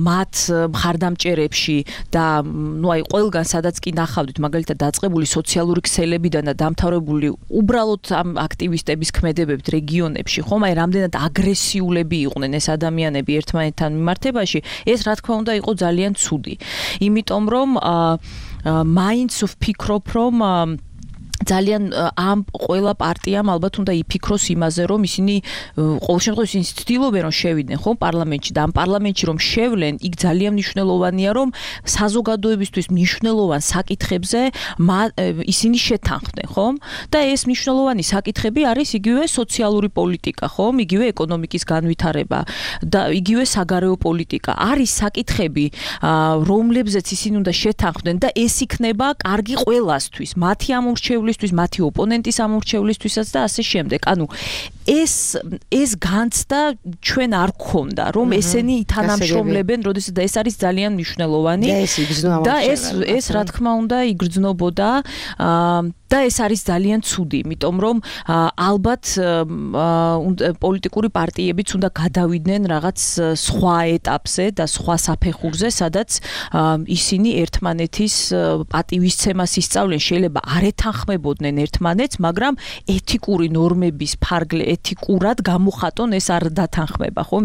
მათ მხარდამჭერებში და ნუ აი ყველგან სადაც კი ნახავდით, მაგალითად დაწყებული სოციალური ქსელებიდან და დამთავრებული უბრალოდ ამ აქტივისტების ქმედებებით რეგიონებში, ხომ, აი რამდენად აგრესიულები იყვნენ ეს ადამიანები ერთმანეთთან მიმართებაში, ეს რა თქმა უნდა იყო ძალიან ცუდი. იმიტომ რომ მაინც ვფიქრობ, რომ ძალიან ამ ყველა პარტიამ ალბათ უნდა იფიქროს იმაზე, რომ ისინი ყოველ შემთხვევაში ისინი ცდილობენ რომ შევიდნენ, ხო, პარლამენტში და ამ პარლამენტში რომ შევლენ, იქ ძალიან მნიშვნელოვანია, რომ საზოგადოებისთვის მნიშვნელოვან საკითხებზე ისინი შეთანხმდნენ, ხომ? და ეს მნიშვნელოვანი საკითხები არის იგივე სოციალური პოლიტიკა, ხომ? იგივე ეკონომიკის განვითარება და იგივე საგარეო პოლიტიკა. არის საკითხები, რომლებზეც ისინი უნდა შეთანხმდნენ და ეს იქნება კარგი ყველასთვის, მათი ამორჩევლისთვის, მათი ოპონენტის ამორჩევლისთვისაც და ასე შემდეგ. ანუ ეს განცდა ჩვენ არ გქონდა, რომ ესენი ითანამშრომლებენ, როდესაც და ეს არის ძალიან მნიშვნელოვანი და ეს რა თქმა უნდა იგრძნობოდა და ეს არის ძალიან ცუდი, იმიტომ რომ ალბათ პოლიტიკური პარტიებიც უნდა გადავიდნენ რაღაც სხვა ეტაპზე და სხვა საფეხურზე, სადაც ისინი ერთმანეთის პატივისცემას ისწავლენ, შეიძლება არ ეთანხმებოდნენ ერთმანეთს, მაგრამ ეთიკური ნორმების ფარგლე ეთიკურად გამოხატონ ეს არ დათანხმება, ხომ?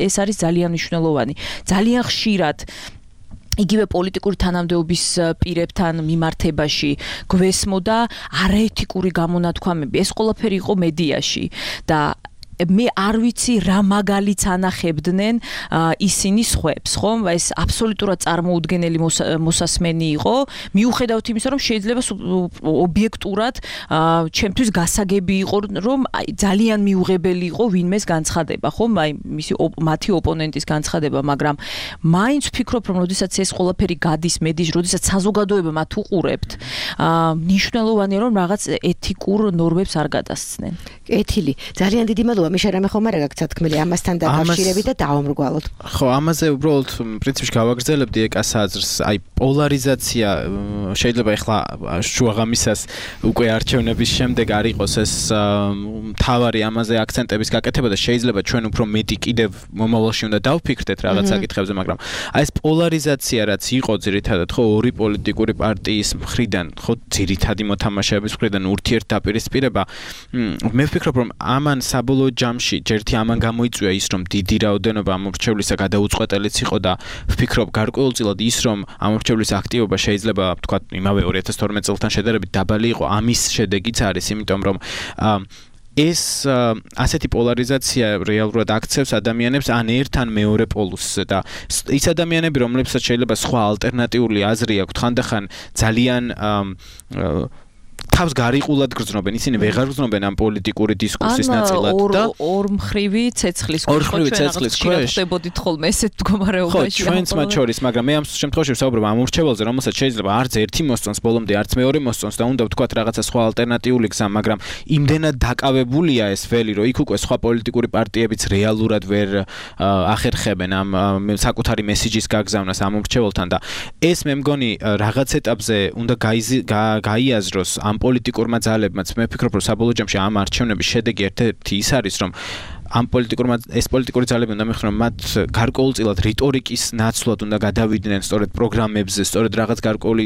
ეს არის ძალიან მნიშვნელოვანი. ძალიან ხშირად იგივე პოლიტიკური თანამდებობის პირებთან მიმართებაში გვესმოდა არაეთიკური გამონათქვამები. ეს ყველაფერი იყო მედიაში და მე არ ვიცი რა მაგალითს ანახებდნენ ისინი სხვებს, ხომ? ეს აბსოლუტურად წარმოუდგენელი მოსასმენი იყო, მიუხედავად იმისა, რომ შეიძლება ობიექტურად ჩემთვის გასაგები იყო, რომ ძალიან მიუღებელი იყო ვინმეს განცხადება, ხომ? აი მათი ოპონენტის განცხადება, მაგრამ მაინც ვფიქრობ, რომ როდესაც ეს ყველაფერი გადის მედიაში, როდესაც საზოგადოება მათ უყურებთ, მნიშვნელოვანია, რომ რაღაც ეთიკურ ნორმებს არ გადასცნენ. კეთილი, ძალიან დიდი მადლობა. მიშა რამე ხომ არა გაქვს თქმელი ამასთან დაკავშირებით და დავამრგვალოთ. ხო, ამაზე უბრალოდ პრინციპში გავაგრძელებდი ეკას აზრს, აი პოლარიზაცია შეიძლება ახლა შუაღამისას უკვე არჩევნების შემდეგ არ იყოს ეს მთავარი ამაზე აქცენტების გაკეთება და შეიძლება ჩვენ უფრო მეტი კიდევ მომავალში უნდა დავფიქრდეთ რაღაც საკითხებზე, მაგრამ აი ეს პოლარიზაცია რაც იყო ძირითადად ხო ორი პოლიტიკური პარტიის მხრიდან, ხო ძირითადი მოთამაშეების მხრიდან ურთიერთდაპირისპირება, მე ვფიქრობ რომ ამან საბოლოო ჯამში ჯერთი ამან გამოიწვია ის რომ დიდი რაოდენობა ამორჩევლისა გადაუწყვეტელიც იყო და ვფიქრობ გარკვეულწილად ის რომ ამორჩევლის აქტივობა შეიძლება ვთქვათ იმავე 2012 წელთან შედარებით დაბალი იყო, ამის შედეგიც არის, იმიტომ რომ ეს ასეთი პოლარიზაცია რეალურად აქცევს ადამიანებს ან ერთ ან მეორე პოლუსზე და ის ადამიანები რომლებსაც შეიძლება სხვა ალტერნატიული აზრი აქვთ ხანდახან ძალიან თავს გარიყულად გრძნობენ, ისინი ვეღარ გრძნობენ ამ პოლიტიკური დისკურსის ნაწილად და ორმხრივი ცეცხლის ქვეშ ხდებოდით ხოლმე ესეთ მდგომარეობაში. ხო, ჩვენც მათ შორის, მაგრამ მე ამ შემთხვევაში ვსაუბრობ ამ ამორჩეველზე, რომელსაც შეიძლება არც ერთი მოსწონს ბოლომდე, არც მეორე მოსწონს და უნდა ვთქვათ რაღაცა სხვა ალტერნატიული გზა, მაგრამ იმდენად დაკავებულია ეს ველი, რომ იქ უკვე სხვა პოლიტიკური პარტიებიც რეალურად ვერ ახერხებენ ამ საკუთარი მესიჯის გაგზავნას ამორჩეველთან და ეს მე მგონი რაღაც ეტაპზე უნდა გაიაზროს ამ პოლიტიკურმა ძალებმაც. მე ვფიქრობ, რომ საბოლოო ჯამში ამ არჩევნების შედეგი ერთ-ერთი ის არის, რომ ამ ეს პოლიტიკური ძალები უნდა მიხსნან მათ გარკვეულწილად რიტორიკის ნაცვლად უნდა გადავიდნენ სწორედ პროგრამებზე, სწორედ რაღაც გარკვეული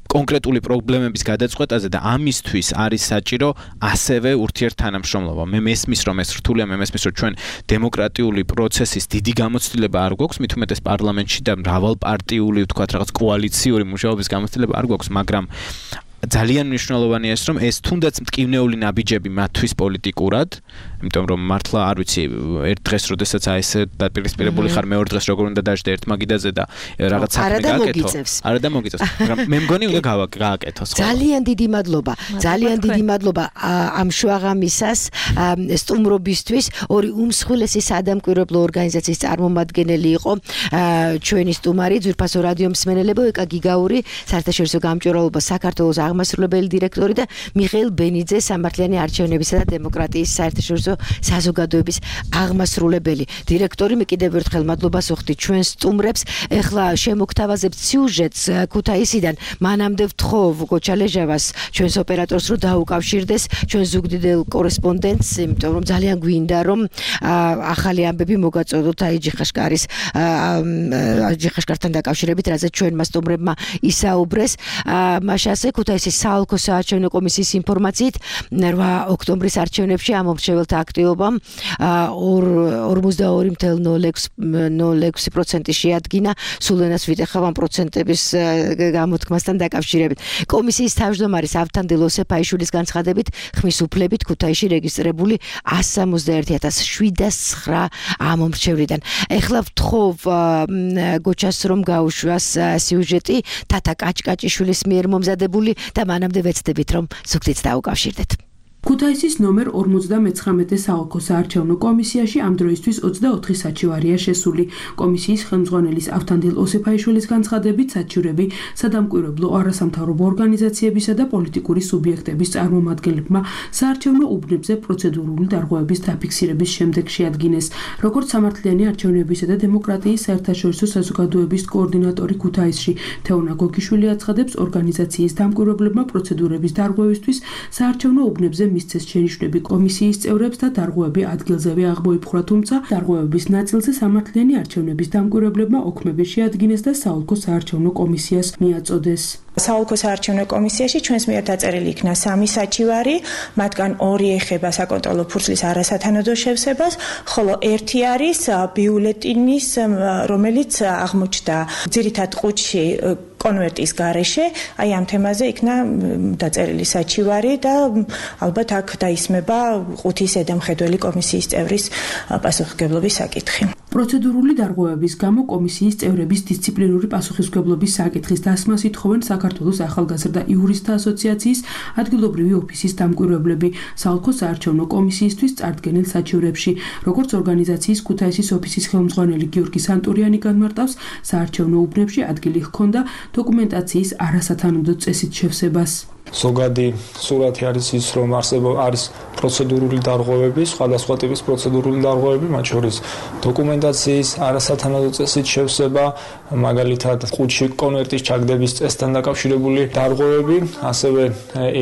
კონკრეტული პრობლემების გადაწყვეტაზე და ამისთვის არის საჭირო ასევე ურთიერთთანამშრომლობა. მე მესმის რომ ეს რთულია, მე მესმის რომ ჩვენ დემოკრატიული პროცესის დიდი გამოცდილება არ გვაქვს, მით უმეტეს პარლამენტში და მრავალპარტიული, ვთქვათ, რაღაც კოალიციური მუშაობის გამოცდილება არ გვაქვს, მაგრამ ძალიან მნიშვნელოვანია ეს რომ ეს თუნდაც მტკივნეული ნაბიჯები მათთვის პოლიტიკურად, იმიტომ რომ მართლა არ ვიცი ერთ დღეს როდესაც ეს დაპირისპირებული ხარ მეორე დღეს როგორ უნდა დაждე ერთ მაგიდაზე და რაღაც საქმე გააკეთო. არა და მოგიწევს. მაგრამ მე მგონი უნდა გააკეთო სხვა. ძალიან დიდი მადლობა ამ შუაღამისას სტუმრობისთვის. ორი უმსხვილესი საადამკვირვებლო ორგანიზაციის წარმომადგენელი იყო ჩვენი სტუმარი ძვირფასო რადიო მსმენელებო ეკა გიგაური საერთაშორისო გამჭვირვალობა საქართველოს აღმასრულებელი დირექტორი და მიხეილ ბენიძე სამართლიანი არჩევნებისა და დემოკრატიის საერთაშორისო საზოგადოების აღმასრულებელი დირექტორი. მე კიდევ ერთხელ მადლობას ვუხდი ჩვენ სტუმრებს. ეხლა შემოგთავაზებთ სიუჟეტს ქუთაისიდან. მანამდე ვთხოვ გოჩალეჟავას ჩვენს ოპერატორს რომ დაუკავშირდეს ჩვენ ზუგდიდელ კორესპონდენტს, იმიტომ რომ ძალიან გვინდა რომ ახალი ამბები მოგაწოდოთ აი ჯიხაშკართან დაკავშირებით, რაზეც ჩვენმა სტუმრებმა ისაუბრეს. მაშასე ქუთაისის საოლქო საარჩევნო კომისიის ინფორმაციით 8 ოქტომბრის არჩევნებში ამომრჩეველთა აქტივობამ 42.06% შეადგინა. სულ ენას ვიტეხავ ამ პროცენტების გამოთქმასთან დაკავშირებით. კომისიის თავმჯდომარის ავთანდილ ოსეფაიშვილის განცხადებით ხმის უფლებით ქუთაისში რეგისტრირებული 161.709 ამომრჩევლიდან. ეხლა ვთხოვ გოჩას რომ გაუშვას სიუჟეტი თათა კაჭკაჭიშვილის მიერ მომზადებული და მანამდე ვეცდებით რომ ზუგდიდს დაუკავშირდეთ. ქუთაისის ნომერ 59 საოლქო საარჩევნო კომისიაში ამ დროისთვის 24 საჩივარია შესული. კომისიის ხელმძღვანელის ავთანდილ ოსეფაიშვილის განცხადებით საჩივრები სადამკვირვებლო არასამთავრობო ორგანიზაციებისა და პოლიტიკური სუბიექტების წარმომადგენლებმა საარჩევნო უბნებზე პროცედურული დარღვევების დაფიქსირების შემდეგ შეადგინეს. როგორც სამართლიანი არჩევნებისა და დემოკრატიის საერთაშორისო საზოგადოების კოორდინატორი ქუთაისში თეონა გოგიშვილი აცხადებს, ორგანიზაციის დამკვირვებლებმა პროცედურების დარღვევისთვის საარჩევნო უბნებზე მისცეს შენიშვნები კომისიის წევრებს და დარღვევები ადგილზევე აღმოიფხვრა, თუმცა დარღვევების ნაწილზე სამართლიანი არჩევნების დამკვირვებლებმა ოქმები შეადგინეს და საოლქო საარჩევნო კომისიას მიაწოდეს. საოლქო საარჩევნო კომისიაში ჩვენს მიერ დაწერილი იქნა 3 საჩივარი, მათგან 2 ეხება საკონტროლო ფურცლის არასათანადო შევსებას, ხოლო 1 არის ბიულეტინის, რომელიც აღმოჩნდა ძირითად ყუთში კონვერტის გარეშე. აი ამ თემაზე იქნა დაწერილი საჩივარი და ალბათ აქ დაისმება ყუთის ზედამხედველი კომისიის წევრის პასუხისმგებლობის საკითხი. პროცედურული დარღვევების გამო კომისიის წევრების დისციპლინური პასუხისმგებლობის საკითხის დასმას ითხოვენ საქართველოს ახალგაზრდა იურისტთა ასოციაციის ადგილობრივი ოფისის დამკვირვებლები საოლქო საარჩევნო კომისიისთვის წარდგენილ საჩივრებში. როგორც ორგანიზაციის ქუთაისის ოფისის ხელმძღვანელი გიორგი სანტურიანი განმარტავს, საარჩევნო უბნებში ადგილი ჰქონდა დოკუმენტაციის არასათანადო წესით შევსებას. ზოგადი სურათი არის ის, რომ არის პროცედურული დარღვევები, სხვადასხვა ტიპის პროცედურული დარღვევები, მათ შორის დოკუმენტაციის არასათანადო წესით შევსება, მაგალითად ყუთში კონვერტის ჩაგდების წესთან დაკავშირებული დარღვევები, ასევე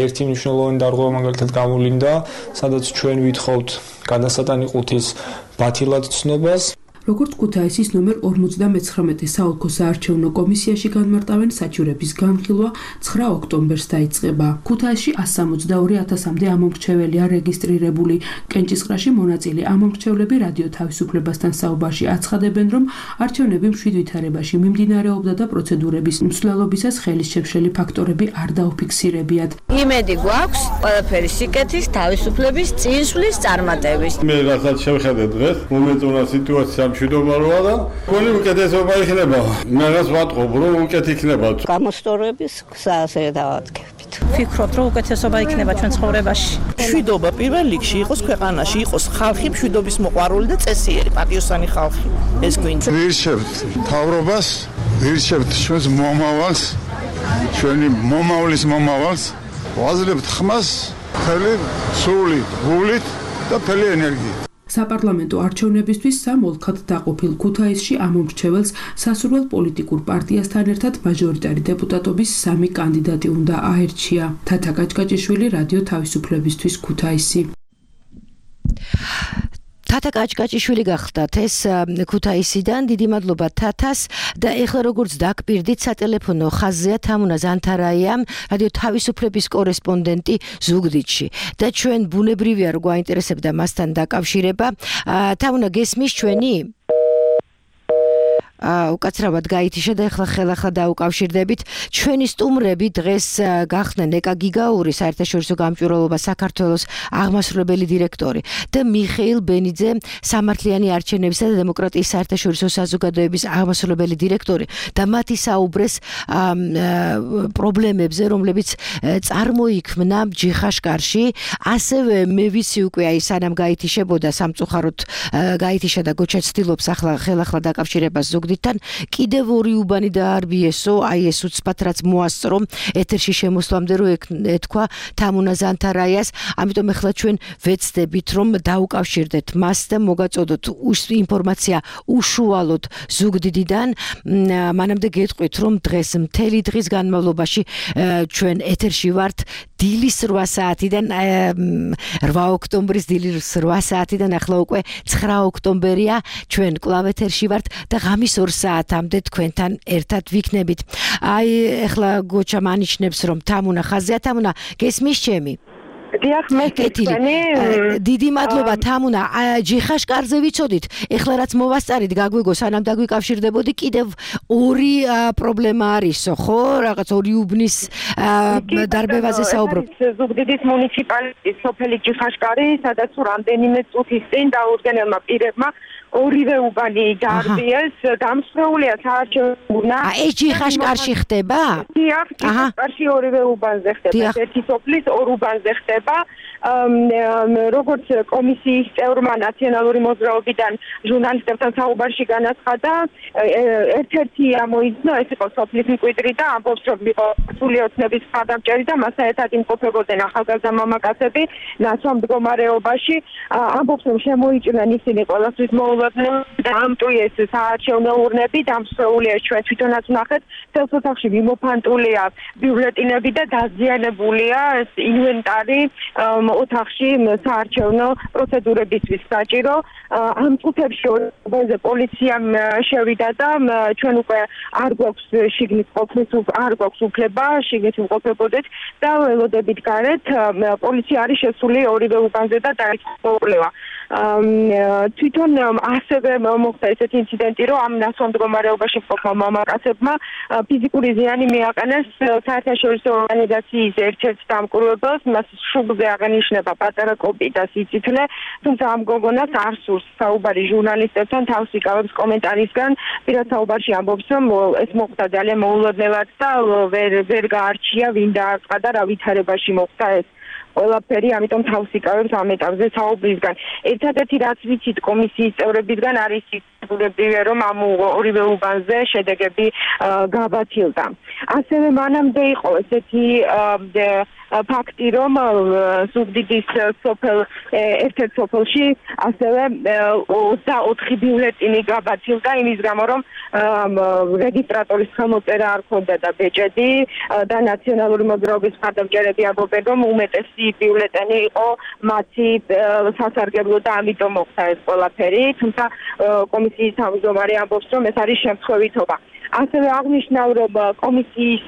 ერთი მნიშვნელოვანი დარღვევა მაგალითად გამოვლინდა, სადაც ჩვენ ვითხოვთ გადასატანი ყუთის ბათილად ცნობას. როგორც ქუთაისის ნომერ 59 საოლქო საარჩევნო კომისიაში განმარტავენ, საჩივრების განხილვა 9 ოქტომბერს დაიწყება. ქუთაისში 162.000-მდე ამომრჩეველია რეგისტრირებული. კენჭისყრაში მონაწილე ამომრჩევლები რადიო თავისუფლებასთან საუბარში აცხადებენ, რომ არჩევნები მშვიდ ვითარებაში მიმდინარეობდა და პროცედურების მსვლელობისას ხელის შეშლილი ფაქტორები არ დაუფიქსირებიათ. იმედი გვაქვს ყველაფერი სიკეთის, თავისუფლების, წინსვლის, წარმატების. მე რასაც შევხედე დღეს, მომეწონა სიტუაცია მშვიდობა როა და ყველი უკეთესობა იქნება. მე რას ვატყობ, რომ უკეთ იქნება. გამოსწორების გზაზე დავადგებით. ვფიქრობ, რომ უკეთესობა იქნება ჩვენ ცხოვრებაში. მშვიდობა პირველ რიგში იყოს ქვეყანაში, იყოს ხალხი მშვიდობის მოყვარული და წესიერი, პატიოსანი ხალხი. ეს გვინდა. ვირჩევთ მთავრობას, ვირჩევთ ჩვენს მომავალს, ჩვენი მომავლის მომავალს, ვაძლევთ ხმას, მთელი სულით, გულით და მთელი ენერგიით. საპარლამენტო არჩევნებისთვის სამ ოლქად დაყოფილ ქუთაისში ამომრჩეველს სასურველ პოლიტიკურ პარტიასთან ერთად მაჟორიტარი დეპუტატობის 3 კანდიდატი უნდა აერჩია. თათა კაჭკაჭიშვილი, რადიო თავისუფლებისთვის, ქუთაისი. თათა კაჭკაჭიშვილი გახდათ ეს ქუთაისიდან. დიდი მადლობა თათას და ეხლა როგორც დაგპირდით სატელეფონო ხაზზეა თამუნა ზანთარაია, რადიო თავისუფლების კორესპონდენტი ზუგდიდში და ჩვენ ბუნებრივია რომ გვაინტერესებდა მასთან დაკავშირება. თამუნა გესმის ჩვენი? უკაცრავად გაითიშა და ეხლა ხელახლა დაუკავშირდებით. ჩვენი სტუმრები დღეს გახდნენ ეკა გიგაური საერთაშორისო გამჭვირვალობა საქართველოს აღმასრულებელი დირექტორი და მიხეილ ბენიძე სამართლიანი არჩევნებისა და დემოკრატიის საერთაშორისო საზოგადოების აღმასრულებელი დირექტორი და მათი საუბრეს პრობლემებზე, რომლებიც წარმოიქმნა ჯიხაშკარში. ასევე მე ვიცი უკვე აი სანამ გაითიშებოდა სამწუხაროდ გაითიშა და გოჩა ცდილობს ახლა ხელახლა დაკავშირებას ზუგდიდთან. კიდევ ორი უბანი დაარბიესო, აი ეს უცბად რაც მოასწრო ეთერში შემოსვლამდე რომ ეთქვა თამუნა ზანთარაიას. ამიტომ ახლა ჩვენ ვეცდებით რომ დაუკავშირდეთ მას და მოგაწოდოთ ინფორმაცია უშუალოდ ზუგდიდიდან. მანამდე გეტყვით რომ დღეს მთელი დღის განმავლობაში ჩვენ ეთერში ვართ დილის 8 საათიდან 8 ოქტომბრის დილის 8 საათიდან ახლა უკვე 9 ოქტომბერია ჩვენ კლავ ეთერში ვართ და ღამის 2 საათამდე თქვენთან ერთად ვიქნებით. აი ახლა გოჩა მანიშნებს რომ თამუნა ხაზია. თამუნა გესმის ჩემი? დიახ, მე გეტყვი. დიდი მადლობა თამუნა. ჯიხაშკარზე ვიცოდით. ეხლა რაც მოვასწარით გაგვიგო სანამ დაგვიკავშირდებოდი კიდევ ორი პრობლემა არისო, ხო? რაღაც ორი უბნის დარბევაზე საუბრობ. ზუგდიდის მუნიციპალიტეტის სოფელი ჯიხაშკარი, სადაც რამდენიმე წუთის წინ დაუდგენელმა პირებმა ორივე უბანი დაარბიეს, დამსხვრეულია საარჩევნო. ეს ჯიხაშკარში ხდება? დიახ, ჯიხაშკარში ორივე უბანზე ხდება. ერთი სოფლის ორ უბანზე ხდება. როგორც კომისიის წევრმა ნაციონალური მოძრაობიდან ჟურნალისტებთან საუბარში განაცხადა, ერთ-ერთი ამოიძნა, ეს იყო სოფლის მკვიდრი და ამბობს, რომ იყო სრული ოცნების მხარდამჭერი და მასთან ერთად იმყოფებოდნენ ახალგაზრდა მამაკაცები ნაცვალ მდგომარეობაში. ამბობს, რომ შემოიჭრნენ ისინი ყველასთვის და ამტვიეს საარჩევნო ურნები, დამსხვრეულია ჩვენ თვითონაც ვნახეთ, წელს ოთახში მიმოფანტულია ბიულეტინები და დაზიანებულია ეს ინვენტარი ოთახში საარჩევნო პროცედურებისთვის საჭირო. ამ წუთებში ორზე პოლიციამ შევიდა და ჩვენ უკვე არ გვაქვს შიგნით ყოფნის არ გვაქვს უფლება შიგნით ვყოფებოდეთ და ველოდებით გარეთ პოლიცია არის შესული ორივე უბანზე და დაიწყო კვლევა. თვითონ ასევე მოხდა ესეთი ინციდენტი, რომ ამ ნაცვალ მდგომარეობაში მყოფმა მამაკაცებმა ფიზიკური ზიანი მიაყენეს საერთაშორისო ორგანიზაციის ერთ-ერთ დამკვირვებელს, მას შუბლზე აღენიშნება პატარა კოპი და სიცითლე, თუმცა ამ გოგონას არ სურს საუბარი ჟურნალისტებთან, თავს იკავებს კომენტარისგან, პირად საუბარში ამბობს, რომ ეს მოხდა ძალიან მოულოდნელად და ვერ გაარჩია ვინ დააწყდა და რა ვითარებაში მოხდა ეს ყველაფერი, ამიტომ თავს იკავებს ამ ეტაპზე საუბრისგან. ერთადერთი რაც ვიცით კომისიის წევრებისგან არის ისწრებია, რომ ამ ორივე უბანზე შედეგები გაბათილდა. ასევე მანამდე იყო ესეთი ფაქტი, რომ ზუგდიდის სოფელ ერთ-ერთ სოფელში ასევე 24 ბიულეტინი გაბათილდა იმის გამო, რომ რეგისტრატორის ხელმოწერა არ ჰქონდა და ბეჭედი და ნაციონალური მოძრაობის მხარდამჭერები ამბობენ, რომ უმეტესი ბიულეტენი იყო მათი სასარგებლო და ამიტომ მოხდა ეს ყველაფერი, თუმცა კომისიის თავმჯდომარე ამბობს, რომ ეს არის შემთხვევითობა. ასევე აღნიშნავ, რომ კომისიის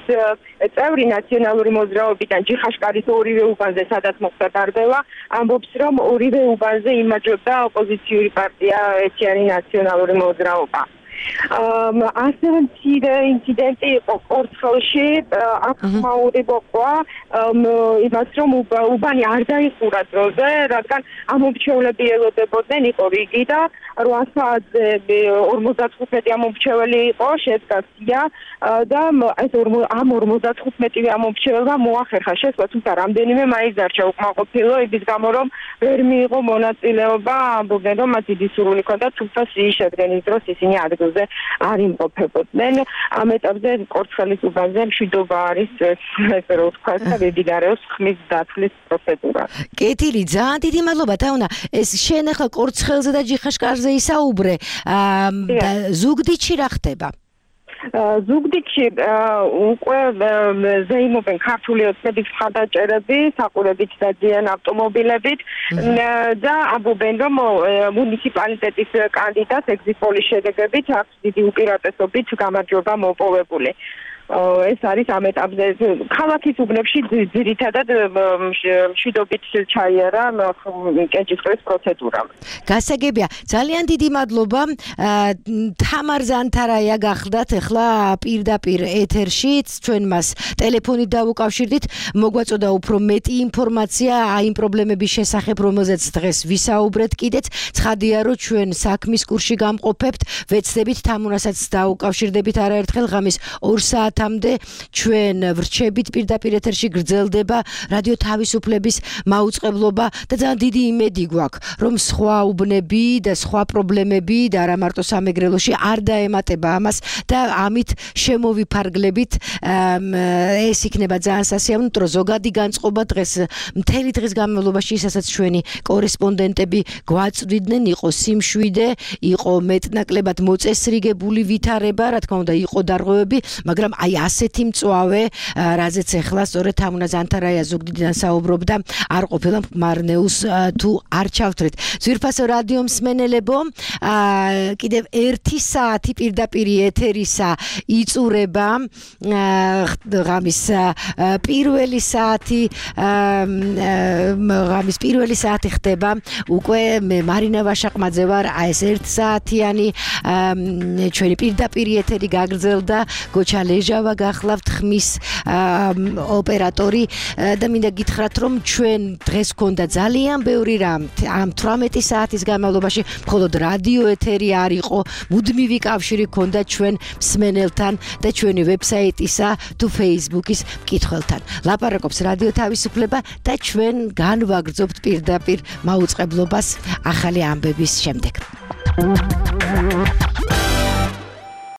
წევრი ნაციონალური მოძრაობიდან ჯიხაშკარის ორივე უბანზე, სადაც მოხდა დარბევა, ამბობს, რომ ორივე უბანზე იმაჯებდა ოპოზიციური პარტია ერთიანი ნაციონალური მოძრაობა. ასევე მცირე ინციდენტი იყო კორცხელში, აქ ხმაური მოყვა იმას, რომ უბანი არ დაიხურა დროზე, რადგან ამომრჩევლები ელოდებოდნენ, იყო რიგი და 8 საათზე 55 ამომრჩეველი იყო, შედგა სია და ეს ამ 55 ამომრჩეველმა მოახერხა შესვლა, თუმცა რამდენიმე მაინც დარჩა უკმაყოფილო, იმის გამო, რომ ვერ მიიღო მონაწილეობა, ამბობდნენ, რომ მათ დიდი სურვილი ჰქონდათ, თუმცა სიის შედგენის დროს ისინი ადგილზე არ იმყოფებოდნენ. ამ ეტაპზე კორცხელის უბანზე მშვიდობა არის, ესე რომ ვთქვა, და მიმდინარეობს ხმის დაცლის პროცედურა. კეთილი, ძალიან დიდი მადლობა თაუნა. ეს შენ ახლა კორცხელზე და ჯიხაშკარზე ისაუბრე, ზუგდიდში რა ხდება? ზუგდიდში უკვე ზეიმობენ ქართული ოცნების მხარდაჭერები, საყურებით და ძიან ავტომობილებით და ამბობენ, რომ მუნიციპალიტეტის კანდიდატს ეგზიტ პოლის შედეგებით აქვს დიდი უპირატესობით გამარჯვება მოპოვებული. ეს არის ამ ეტაპზე ქალაქის უბნებში ძირითადად მშვიდობით ჩაიარა კენჭისყრის პროცედურამ. გასაგებია, ძალიან დიდი მადლობა. თამარ ზანთარაია გახლდათ ახლა პირდაპირ ეთერში, ჩვენ მას ტელეფონით დავუკავშირდით, მოგვაწოდა უფრო მეტი ინფორმაცია აი იმ პრობლემების შესახებ, რომელზეც დღეს ვისაუბრეთ კიდეც. ცხადია, რომ ჩვენ საქმის კურსში გამყოფებთ, ვეცდებით თამუნასაც დაუკავშირდებით არაერთხელ ღამის 2 საათამდე ჩვენ ვრჩებით პირდაპირ ეთერში გრძელდება რადიო თავისუფლების მაუწყებლობა და ძალიან დიდი იმედი გვაქვს, რომ სხვა უბნები და სხვა პრობლემები და არა მარტო სამეგრელოში არ დაემატება ამას და ამით შემოვიფარგლებით ეს იქნება ძალიან სასიამოვნო ზოგადი განწყობა დღეს მთელი დღის განმავლობაში ისაც ჩვენი კორესპონდენტები გვაწვდიდნენ, იყო სიმშვიდე, იყო მეტნაკლებად მოწესრიგებული ვითარება, რა თქმა უნდა, იყო დარღვევები, მაგრამ აი ასეთი მწვავე, რაზეც ახლა სწორედ თამუნა ზანთარაია ზუგდიდიდან საუბრობდა, არ ყოფილა მარნეულს თუ არ ჩავთვლით. ძვირფასო რადიო მსმენელებო, კიდევ 1 საათი პირდაპირ ეთერისა იწურება, ღამის პირველი საათი ხდება, უკვე მე მარინა ვაშაყმაძე ვარ, ეს 1 საათიანი ჩვენი პირდაპირ ეთერი გაგრძელდა, გოჩა ლეჟავა გახლავთ ხმის ოპერატორი და მინდა გითხრათ, რომ ჩვენ დღეს გქონდა ძალიან ბევრი რამ ამ 18 საათის განმავლობაში, მხოლოდ რადიო ეთერი არ იყო, მუდმივი კავშირი გქონდა ჩვენ მსმენელთან და ჩვენი ვებსაიტისა თუ Facebook-ის მკითხველთან. ლაპარაკობს რადიო თავისუფლება და ჩვენ განვაგრძობთ პირდაპირ მაუწყებლობას ახალი ამბების შემდეგ.